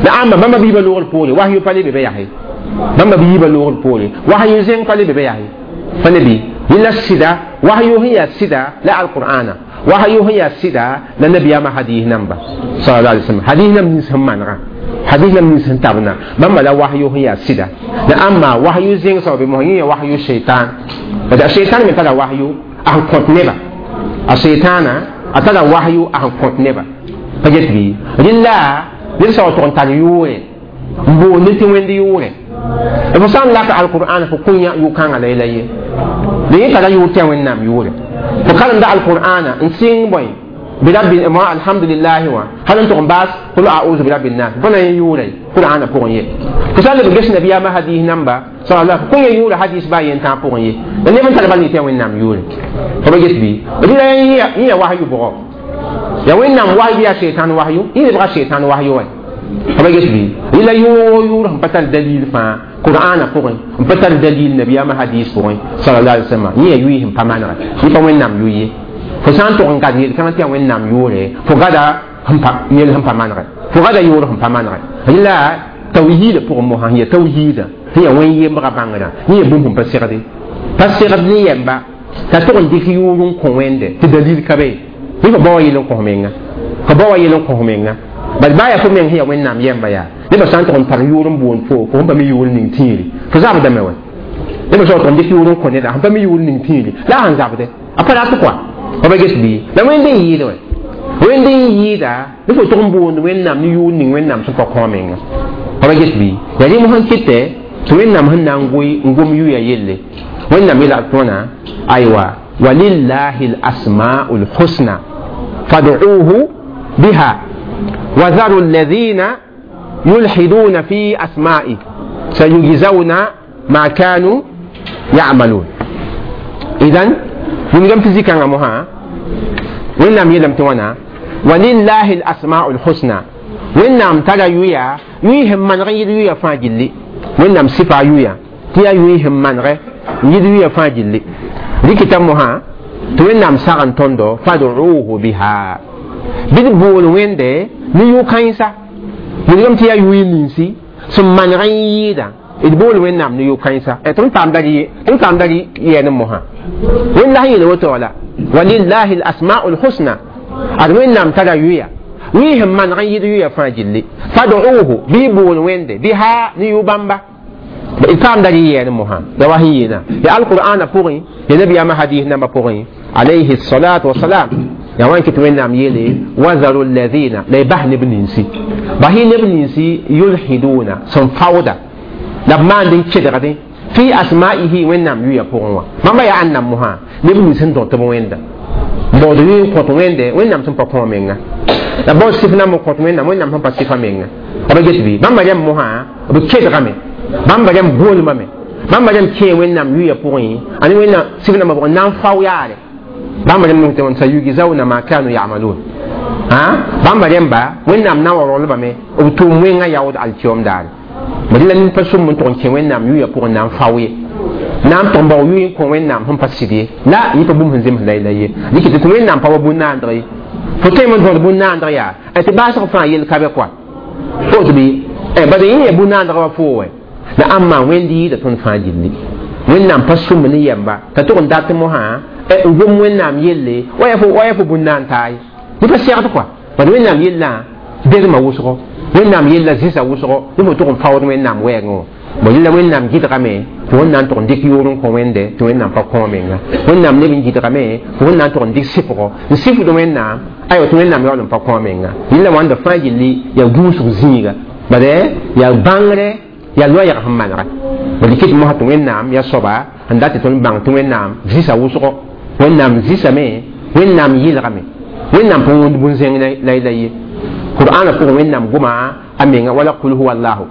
la ãmba bãmba biibã loogr poore wahyu pa le be be yaa bãmba biibã loogr poore wahyu zẽng pa le be be yaa pa le bɩ yẽ la sɩda wahyu sẽn yaa sɩda la alqur'ana wahyu sẽn yaa sɩda la nabiyaamã hadis namba sallallahu alaihi wasallam hadis nam nins sẽn manegã hadis nam nins sẽn tabna bãmba la wahyu sẽn yaa sɩda la ãmba wahyu zẽng soab mosã yẽ yaa wahyu shaitan bad a shaitan me tara wahyu a sẽn kõt neba a shaitana a tara wahyu a sẽn kõt neba pa get bɩ rẽnda ned sã wa tʋg n tar yʋʋre n boonde tɩ wẽnd yʋʋre fo sã n laka alqur'an fo kõ yʋ-kãngã la yɛla ye la yẽ tara yʋʋr tɩ yaa wẽnnaam yʋʋre fo karemda alqur'ana n sɩng bõe birabbi ma alhamdulillahi wã hal n tʋg n baas qul a'udhu birabbi nnas fo na yẽ yʋʋra qur'ana pʋgẽ ye fo sã n leb ges nabiyaamã hadis namba sallallahu kõ yẽ yʋʋra hadis baa yen tãag pʋgẽ ye la neb n tar bal tɩ yaa wẽnnaam yʋʋre fo ba get bɩ rɩla yẽ yaa wahyu bʋgɔ ya wẽnnaam wahyu yaa shaitan wahyu yẽ lebga shaitan wahyu wɛ fo ba get bɩ rɩla yʋʋg yʋʋr sẽn pa tar dalil fãa qur'ana pʋgẽ n pa tar dalil nabiyaamã hadis pʋgẽ sallallahu alaihi wasallam yẽ yaa yʋɩ sẽn pa manegɛ yẽ pa wẽnnaam yʋ ye fo sã n tʋg n gad yel-kãngã tɩ yaa wẽnnaam yʋʋre fo gada yel sẽn pa manegɛ fo gada yʋʋr sẽn pa manegɛ rẽla tawhiida pʋgẽ mosã sẽn yaa tawhiida sẽn yaa wẽn yembrã bãngrã yẽ yaa bũmb sẽn pa segde pa segd ne yɛmba t'a tʋg n dɩk yʋʋr n kõ wẽnde tɩ dalil ka be yẽ fa bao wa yel n kõs menga fa bao wa yel n kõs menga bad baa yaa fo meng sẽn yaa wẽnnaam yɛmba yaa nebã sã n tʋg n tar yʋʋr n boond fo fo sẽn pa mi yʋʋr ning tĩiri fo zabdame wɛ neb soab tʋg n dɩk yʋʋr n kõ neda sẽn pa mi yʋʋr ning tĩiri la a sẽn zabde a pa rat kɔa fa pa ges bɩ la wẽnd n yɩɩd wɛ wẽnd n yɩɩda ne fo tʋg n boond wẽnnaam ne yʋʋr ning wẽnnaam sẽn pa kõ menga fa pa ges bɩ yaa rẽ mosã kɩtɛ tɩ wẽnnaam sẽn na n goe n gom yʋya yelle wẽnnaam yeela tɩ wãna aywa walillahi lasmau lhusna fad'uuhu biha وذروا الذين يلحدون في أسمائه سيجزون ما كانوا يعملون إذن من في ذكر مها وإنام يلم توانا ولله الأسماء الحسنى وإنام ترى يويا يويهم من غير يويا فاجلي وإنام صفة يويا تيا يويهم من غير يويا فاجلي لكتاب مها توإنام ساغن تندو فادعوه بها bɩ d bool wẽnde ne yʋ-kãensa wilgame tɩ yaa yʋɩ ninsi sẽn maneg n yɩɩda d bool wẽnnaam ne yʋ-kãensa tɩ m paamda tɩ m paamda yɛɛne mosã wẽnd la sẽn yeel woto la walillahi lasmau lhusna ad wẽnnaam tara yʋya yʋɩ sẽn maneg n yɩd yʋya fãa gilli fad'uuhu bɩ y bool wẽnde biha ne yʋ-bãmba d paamda rɩ yɛɛne mosã ya wa sẽn yeelã ya alqur'ana pʋgẽ ya nabiyaamã hadis nambã pʋgẽ alayhi salatu wasalam ya wan kɩt wẽnnaam yeele wazaru alladhina la y bas neb ninsi bas y neb ninsi yulhiduna sẽn faooda la b maand n kedgdẽ fi asma'ihi wẽnnaam yʋya pʋgẽ wã bãmba yaa ãnnam mosã neb nins sẽn dõt b wẽnda baood yʋ n kõt wẽnde wẽnnaam sẽn pa kõ menga la baood sɩf nam n kõt wẽnnaam wẽnnaam sẽn pa sɩfa menga b get bɩ bãmba rẽmb mosã b kedgame bãmba rẽmb boolmame bãmba rẽmb kẽe wẽnnaam yʋya pʋgẽ ane wẽnnaam sɩf nambã pʋgẽ na n fao yaare bãmba rẽmb tɩ sayugzauna ma kanu yamalun bãmba rẽmba wẽnnaam na n wa rolbame b tʋʋm wẽngã yaood alkiom daare bad la ned pa sʋm n tʋg n kẽ wẽnnaam yʋya pʋgẽ na n fao ye na n tʋg n bao yʋy n kõ wẽnnaam sẽn pa sɩd ye la yẽ pa bũmb sẽn zems la la ye dɩk tɩ wẽnnaam pa wa bũn-naandg ye fo tõeme n tõd bũn-naandg yaa tɩ baasg fãa yel ka be kɔa fo tɩ bɩ bad yẽ yaa bũn-naandg wa foo wɛ la ãmma wẽnd yɩɩda tõnd fãa gilli wẽnnaam pa sʋm ne yɛmba t'a tʋg n dat mosã n gom wẽnnaam yelle wa yaa fo bũn-naan taa ye ned pa segd kɔa bad wẽnnaam yellã bedmã wʋsgo wẽnnaam yella zĩsa wʋsgo ne fo tʋg n faood wẽnnaam wɛɛngẽ wã bõ yella wẽnnaam gɩdgame tɩ wẽn na n tʋg n dɩk yʋʋr n kõ wẽnde tɩ wẽnnaam pa kõ menga wẽnnaam neb n gɩdgame tɩ wẽn na n tʋg n dɩk sɩfgo n sɩfd wẽnnaam aywa tɩ wẽnnaam yaool n pa kõ menga yella wãnda fãa gilli yaa gũusg zĩiga bad yaa bãngre yaa loɛɛg sẽn manega bad kɩt mosã tɩ wẽnnaam yaa soaba n dat tɩ tõnd bãng tɩ wẽnnaam zĩsa wʋsgo wẽnnaam zĩsame wẽnnaam yɩlgame wẽnnaam pa wõnd bũn-zẽng la la ye qur'ana pʋgẽ wẽnnaam goma a menga wala qul huwa allahu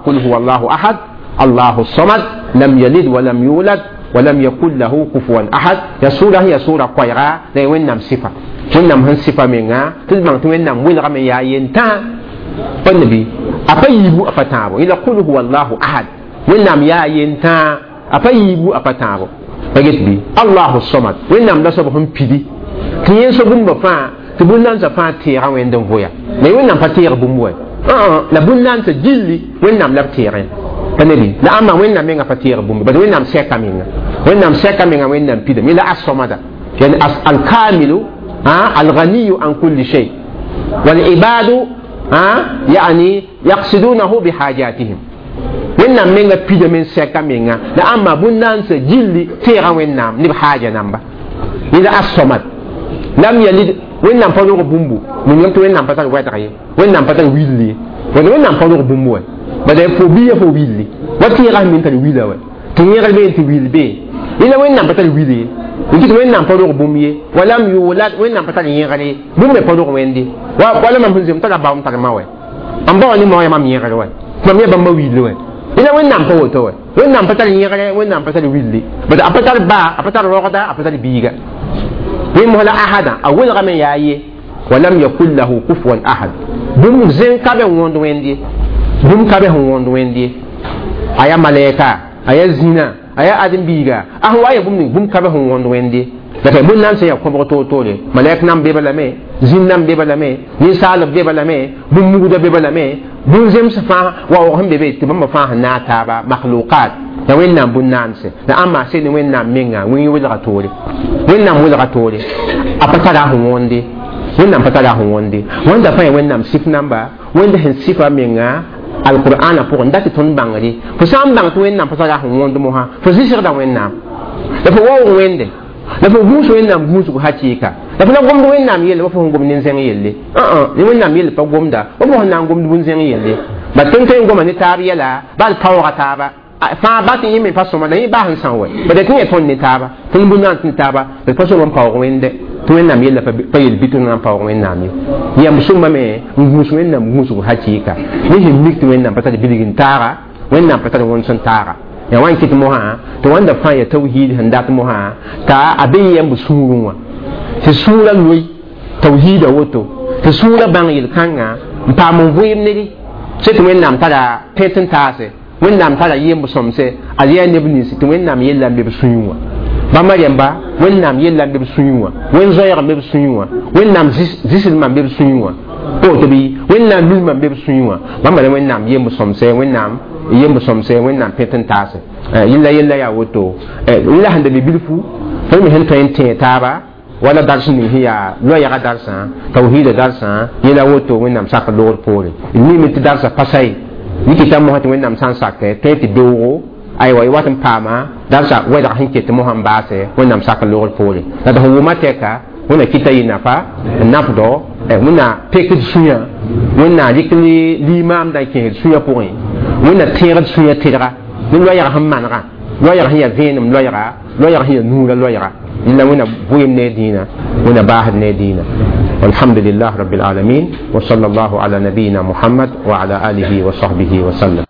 qul huwa allahu ahad allahu samad lam yalid walam yulad walam yakun lahu kufuwan ahad ya sura ya sura koɛɛga la ya wẽnnaam sɩfa wẽnnaam sẽn sɩfa menga tɩ d bãng tɩ wẽnnaam welgame yaa yentã pa nabi a pa yiibu a pa tãabo yẽla qul huwa allahu ahad wẽnnaam yaa yentã a pa yiibu a pa tãabo pa get bɩ allahu samad wẽnnaam la soab sẽn pidi tɩ yẽ so bũmba fãa tɩ bũn-nansã fãa teega wẽnd n voya la wẽnnaam pa teeg bũmb wɛ la bũn-nansã gilli wẽnnaam la b teegẽ pa ne la ãmba wẽnnaam menga pa teeg bũmb bad wẽnnaam sɛka menga wẽnnaam sɛka menga wẽnnaam pidame yẽla as-samada yani alkamilu alganiyu an kulli shay walibadu yani yaqsidunahu bihajatihim wẽnnaam menga pidame n sɛka menga la ãmba bũn-nansã gilli teega wẽnnaam ne b haaja namba yẽla as-samad lam yalid wẽnnaam pa rog bũmbu wilgame tɩ wẽnnaam pa tar wɛdg ye wẽnnaam pa tar willi ye wala wẽnnaam pa rog bũmbu wɛ bala fo biya fo willi wa tẽegã sẽn min tar wila wɛ tɩ yẽgr bee tɩ wil bee yẽla wẽnnaam pa tar wil ye n kɩt wẽnnaam pa rog bũmb ye walam yulad wẽnnaam pa tar yẽgr ye bũmb me pa rog wẽnde wala mam sẽn zem tara bao n tar ma wɛ n bao ne ma mam yẽgr wɛ mam yaa bãmba willi wɛ yẽla wẽnnaam pa woto wɛ wẽnnaam pa tar yẽgre wẽnnaam pa tar willi bad a pa tar baa a pa tar rogda a pa tar biiga wẽn mosla ahada a welgame yaa ye walam yakun lahu kufuwan ahad bũmb zẽng ka be n wõnd wẽnd ye bũmb ka be sẽn wõnd wẽnd ye a yaa malɛɛka a yaa zĩnã a yaa ãdem-biiga a sẽn wa ya bũmb ning bũmb ka be sẽn wõnd wẽnd ye la ka bũn nan sẽn yaa kõbg toor-toore malɛk nam be lame zĩn nam be lame ninsaalb be lame bũmb mugda be lame bũn-zems fãa waoog sẽn be be tɩ bãmba fãa sẽn naag taaba makhluqat la wẽnnaam bũn-naanse la ãmba sel ne wẽnnaam menga wẽng welga toore wẽnnaam welga toore a pa tara sẽn wõnde wẽnnaam pa tara sẽn wõnde wẽnda fãa ya wẽnnaam sɩf namba wẽnd sẽn sɩfa menga a Alqur'ana pʋgẽ dat tɩ tõnd bãngre fo sã n bãng tɩ Wẽnnaam pa tara sẽn wõnd mosã fo zɩsgda Wẽnnaam la fo waoog Wẽnde la fo gũus Wẽnnaam gũusg hakɩɩka la fo la gomd Wẽnnaam yelle wa fo sẽn gomd nin-zẽng yelle ne Wẽnnaam yelle pa gomda wa fo sẽn na n gomd bũn-zẽng yelle ba tõnd tõe n goma ne taab yɛla bal paooga taaba fãa ba tɩ yẽ me pa sõma la yẽ baa sẽn sã wɛ ba tɩ yẽ tõnd ne taaba tõnd bũn tɩ ne taaba d pa sõma n paoog Wẽnde tɩ Wẽnnaam yella pa yel bɩ tɩ na n paoog Wẽnnaam ye yãmb sõma me n gũus Wẽnnaam gũusg hakɩɩka ne sẽn mik tɩ Wẽnnaam pa tar bilg n taaga Wẽnnaam pa tar wõnd sẽn taaga ya wan kɩt mosã tɩ wãnda fãa ya tawhiid sẽn dat mosã t'a a be yɛmb sũurẽ wã tɩ sũurã loe tawhiida woto tɩ sũurã bãng yel-kãngã n paam n vɩɩm ned sẽn tɩ Wẽnnaam tara pẽt n taase Wẽnnaam tara yemb sõmse a yaa neb nins tɩ Wẽnnaam yella n be b sũyẽ wã bãmba rẽmba Wẽnnaam yella n be b sũyẽ wã Wẽn-zoɛɛg n be b sũyẽ wã Wẽnnaam zɩsdmã n be b sũyẽ wã woto bɩ Wẽnnaam milmã n be b sũyẽ wã bãmba ra Wẽnnaam yemb sõmse Wẽnnaam yemb sõmse Wẽnnaam pẽt n taase yella yella yaa woto la sẽn da be bilfu tõnd me sẽn tõe n tẽeg taaba wala dars ning sẽn yaa loɛɛga darsã tawhiida darsã yẽla woto Wẽnnaam sak loogr poore d mime tɩ darsã pa sa ye yikita mosã tɩ Wẽnnaam sã n sakɛ tõe tɩ beoogo aywa y wat n paama darsã wɛdg sẽn ket mosã n baase Wẽnnaam sak loogr poore la tɩ sẽn wʋma tɛka Wẽnna kɩta yɩ nafa n nafdɔ Wẽnna pekd sũyã Wẽnna rɩk limaamdã n kẽesd sũyã pʋgẽ Wẽnna tẽegd sũyã tɩrga ne loɛɛg sẽn manegã loɛɛg sẽn yaa vẽenem loɛɛga loɛɛg sẽn yaa nuurã loɛɛga yella Wẽnna vɩɩm ne dĩinã Wẽnna baasd ne dĩinã والحمد لله رب العالمين وصلى الله على نبينا محمد وعلى آله وصحبه وسلم.